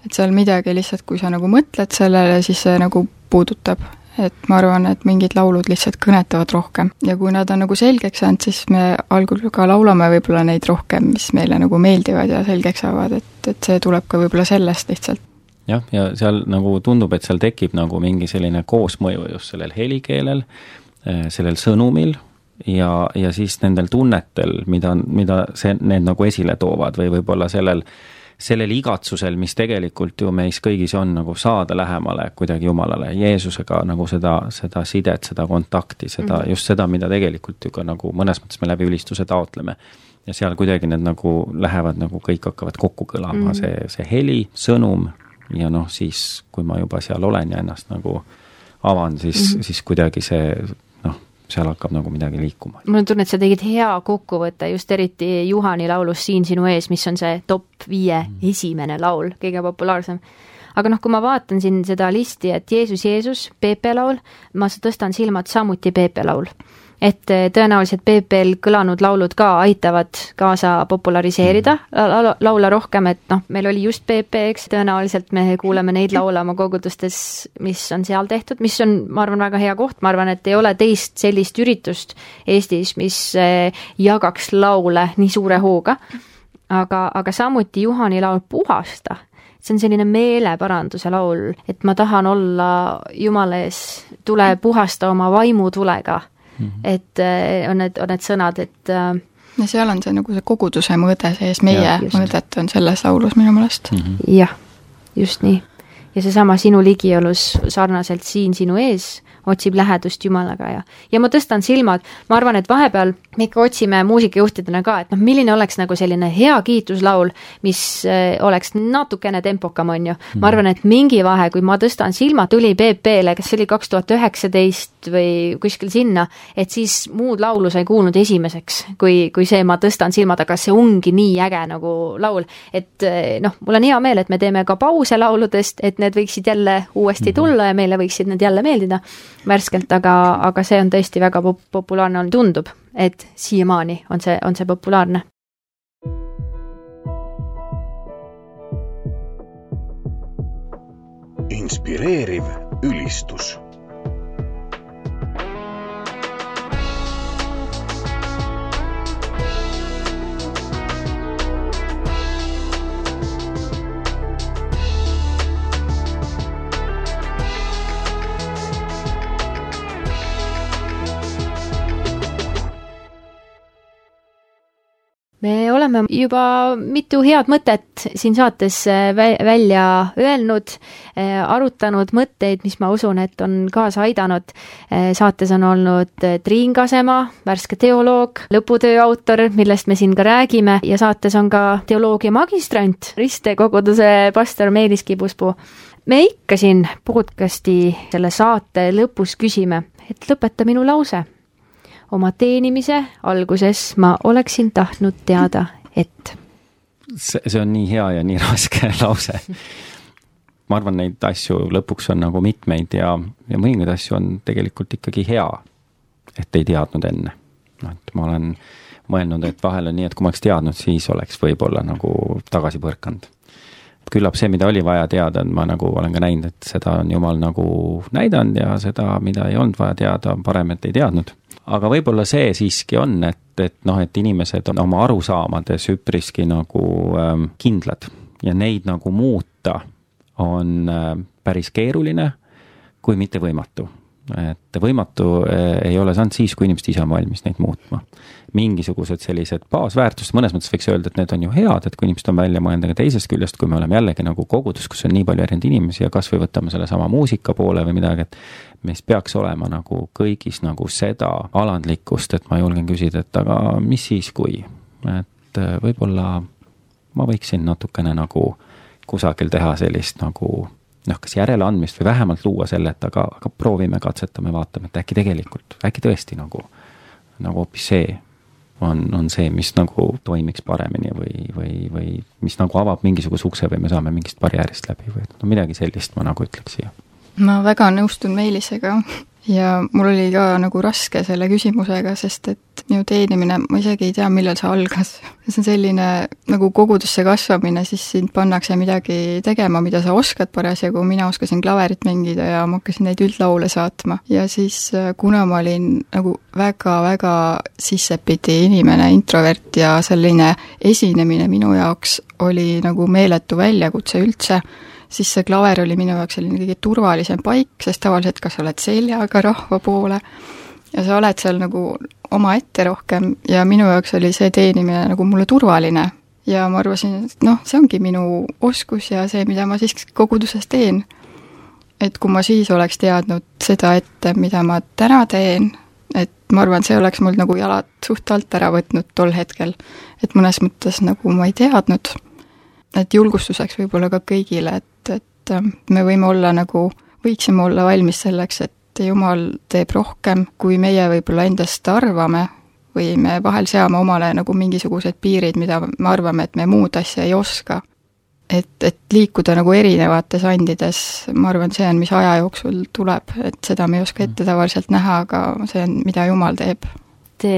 Et seal midagi lihtsalt, kui sa nagu mõtled sellele, siis see nagu puudutab. Et ma arvan, et mingid laulud lihtsalt kõnetavad rohkem. Ja kui nad on nagu selgeks saanud, siis me algul ka laulame võib-olla neid rohkem, mis meile nagu meeldivad ja selgeks saavad, et, et see tuleb ka võib-olla sellest lihtsalt. Jah, ja seal nagu tundub, et seal tekib nagu mingi selline koosmõju just sellel helikeelel, sellel sõnumil ja, ja siis nendel tunnetel, mida, mida see, need nagu esile toovad või võib-olla sellel sellel igatsusel, mis tegelikult ju meis kõigis on nagu saada lähemale kuidagi Jumalale, Jeesusega nagu seda, seda sidet, seda kontakti, seda, mm-hmm. just seda, mida tegelikult ju ka nagu mõnes mõttes me läbi ülistuse taotleme. Ja seal kuidagi need nagu lähevad, nagu kõik hakkavad kokku kõlama, mm-hmm. see, see heli, sõnum ja noh, siis kui ma juba seal olen ja ennast nagu avan, siis, mm-hmm. siis kuidagi see seal hakkab nagu midagi liikuma. Mul on tunne, et sa tegid hea kokkuvõtte just eriti Juhani laulus Siin sinu ees, mis on see top viie mm. esimene laul, kõige populaarsem. Aga noh, kui ma vaatan siin seda listi, et Jeesus, Jeesus, Peepe laul, ma tõstan silmad samuti Peepe laul. Et tõenäoliselt Peepel kõlanud laulud ka aitavad kaasa populariseerida mm. laula rohkem, et noh, meil oli just Peepe, eks, tõenäoliselt me kuuleme neid laule oma kogudustes, mis on seal tehtud, mis on, ma arvan, väga hea koht, ma arvan, et ei ole teist sellist üritust Eestis, mis jagaks laule nii suure hooga, aga, aga samuti Juhani laul Puhasta. See on selline meeleparanduse laul, et ma tahan olla Jumala ees, tule puhasta oma vaimutulega. Mm-hmm. Et on need, on need sõnad, et ja seal on see nagu see koguduse mõõde sees, meie ja, mõõdet on selles laulus minu mõelest. Mm-hmm. Jah, just nii. Ja see sama Sinu ligiolus sarnaselt Siin sinu ees otsib lähedust Jumalaga ja, ja ma tõstan silmad, ma arvan, et vahepeal me ikka otsime muusikajuhtidena ka, et noh, milline oleks nagu selline hea kiituslaul, mis oleks natukene tempokam, on ju. Ma arvan, et mingi vahe, kui ma tõstan silmad, tuli Peepele, kas see oli kaks tuhat üheksateist või kuskil sinna, et siis muud laulu sai kuulnud esimeseks, kui, kui see ma tõstan silmad, aga see ongi nii äge nagu laul, et noh, mul on hea meel, et me teeme ka pause lauludest, et need võiksid jälle uuesti tulla ja meile võiksid need jälle meeldida värskelt, aga, aga see on tõesti väga pop- populaarne on, tundub, et siiamaani on see, on see populaarne. Inspireeriv ülistus. Me oleme juba mitu head mõtet siin saates välja öelnud, arutanud mõtteid, mis ma usun, et on kaasa aidanud. Saates on olnud Triin Kasema, värske teoloog, lõputöö autor, millest me siin ka räägime, ja saates on ka teoloogia magistrant, Riste koguduse pastor Meelis Kibuspuu. Me ikka siin podcasti selle saate lõpus küsime, et lõpeta minu lause. Oma teenimise alguses ma oleksin tahtnud teada, et... See, see on nii hea ja nii raske lause. ma arvan, neid asju lõpuks on nagu mitmeid ja, ja mõningaid asju on tegelikult ikkagi hea, et ei teadnud enne. No, et ma olen mõelnud, et vahel on nii, et kui ma oleks teadnud, siis oleks võib-olla nagu tagasi põrkanud. Küllap see, mida oli vaja teada, ma nagu olen ka näinud, et seda on Jumal nagu näidanud ja seda, mida ei olnud vaja teada, parem, et ei teadnud. Aga võib-olla see siiski on, et, et, noh, et inimesed on oma arusaamades üpriski nagu ähm, kindlad ja neid nagu muuta on äh, päris keeruline, kui mitte võimatu. Et võimatu ei ole saanud siis, kui inimesed ise on valmis neid muutma. Mingisugused sellised baasväärtused, mõnes mõttes võiks öelda, et need on ju head, et kui inimesed on välja mõelda ka teisest küljest, kui me oleme jällegi nagu kogudus, kus on nii palju erinevaid inimesi ja kas või võtame selle sama muusika poole või midagi, et mis peaks olema nagu kõigis nagu seda alandlikkust, et ma julgen küsida, et aga mis siis kui? Et võib-olla ma võiksin natukene nagu kusagil teha sellist nagu noh, kas järeleandmist või vähemalt luua selle, et aga, aga proovime, katsetame, vaatame, et äkki tegelikult, äkki tõesti nagu, nagu hoopis see on, on see, mis nagu toimiks paremini või, või, või mis nagu avab mingisuguse ukse või me saame mingist barjäärist läbi või no midagi sellist ma nagu ütleks siia. Ma väga nõustun Meelisega ja mul oli ka nagu raske selle küsimusega, sest et minu teenimine, ma isegi ei tea, millal see algas. See on selline nagu kogudusse kasvamine, siis sind pannakse midagi tegema, mida sa oskad parasjagu. Mina oskasin klaverit mängida ja ma hakkasin neid üldlaule saatma. Ja siis kuna ma olin nagu väga-väga sissepidi inimene, introvert ja selline esinemine minu jaoks oli nagu meeletu väljakutse üldse, siis see klaver oli minu jaoks selline kõige turvalisem paik, sest tavaliselt kas oled seljaga rahva poole ja sa oled seal nagu oma ette rohkem ja minu jaoks oli see teenimine nagu mulle turvaline ja ma arvasin, et noh, see ongi minu oskus ja see, mida ma siis koguduses teen. Et kui ma siis oleks teadnud seda ette, mida ma täna teen, et ma arvan, see oleks mul nagu jalad suht alt ära võtnud tol hetkel, et mõnes mõttes nagu ma ei teadnud, et julgustuseks võib-olla ka kõigile, et, et me võime olla nagu, võiksime olla valmis selleks, et Jumal teeb rohkem, kui meie võib-olla endast arvame või me vahel seame omale nagu mingisugused piirid, mida me arvame, et me muud asja ei oska. Et, et liikuda nagu erinevates andides, ma arvan, see on, mis aja jooksul tuleb, et seda me ei oska ette tavaliselt näha, aga see on, mida Jumal teeb. Te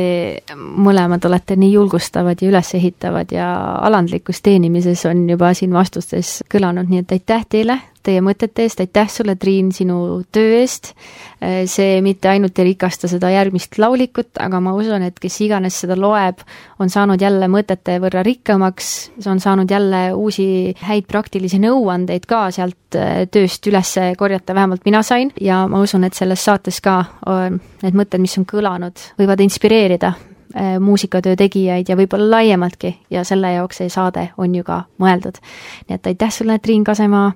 mõlemad olete nii julgustavad ja üles ehitavad ja alandlikus teenimises on juba siin vastustes kõlanud, nii et aitäh teile, teie mõtete eest, aitäh sulle, Triin, sinu töö eest. See mitte ainult ei rikasta seda järgmist laulikut, aga ma usun, et kes iganes seda loeb, on saanud jälle mõtete võrra rikkamaks, on saanud jälle uusi häid praktilisi nõuandeid ka sealt tööst üles korjata, vähemalt mina sain, ja ma usun, et selles saates ka need mõtted, mis on kõlanud, võivad inspireerida muusikatöö tegijaid ja võib-olla laiemaltki ja selle jaoks see saade on ju ka mõeldud. Nii et aitäh sulle, Triin Kasemaa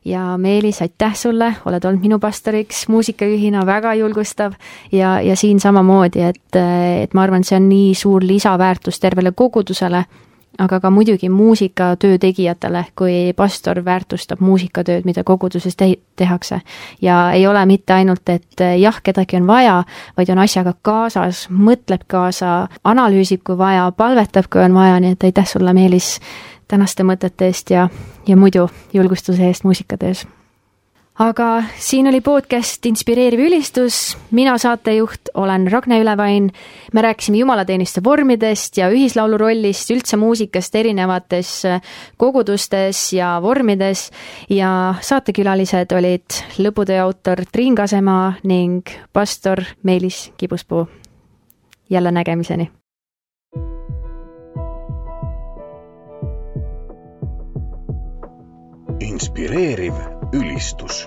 ja Meelis, aitäh sulle, oled olnud minu pastoriks, muusikajuhina väga julgustav ja, ja siin samamoodi, et, et ma arvan, see on nii suur lisaväärtus tervele kogudusele, aga ka muidugi muusikatöö tegijatele, kui pastor väärtustab muusikatööd, mida koguduses te- tehakse. Ja ei ole mitte ainult, et jah, kedagi on vaja, vaid on asjaga kaasas, mõtleb kaasa, analüüsib, kui vaja, palvetab, kui on vaja, nii et aitäh sulle, Meelis, tänaste mõtete eest ja, ja muidu julgustuse eest muusikatöös. Aga siin oli podcast Inspireeriv ülistus, mina saatejuht olen Ragne Ülevain, me rääkisime jumalateeniste vormidest ja ühislaulu rollist, üldse muusikast erinevates kogudustes ja vormides ja saatekülalised olid lõputöö autor Triin Kasemaa ning pastor Meelis Kibuspuu. Jälle nägemiseni! Inspireeriv ülistus.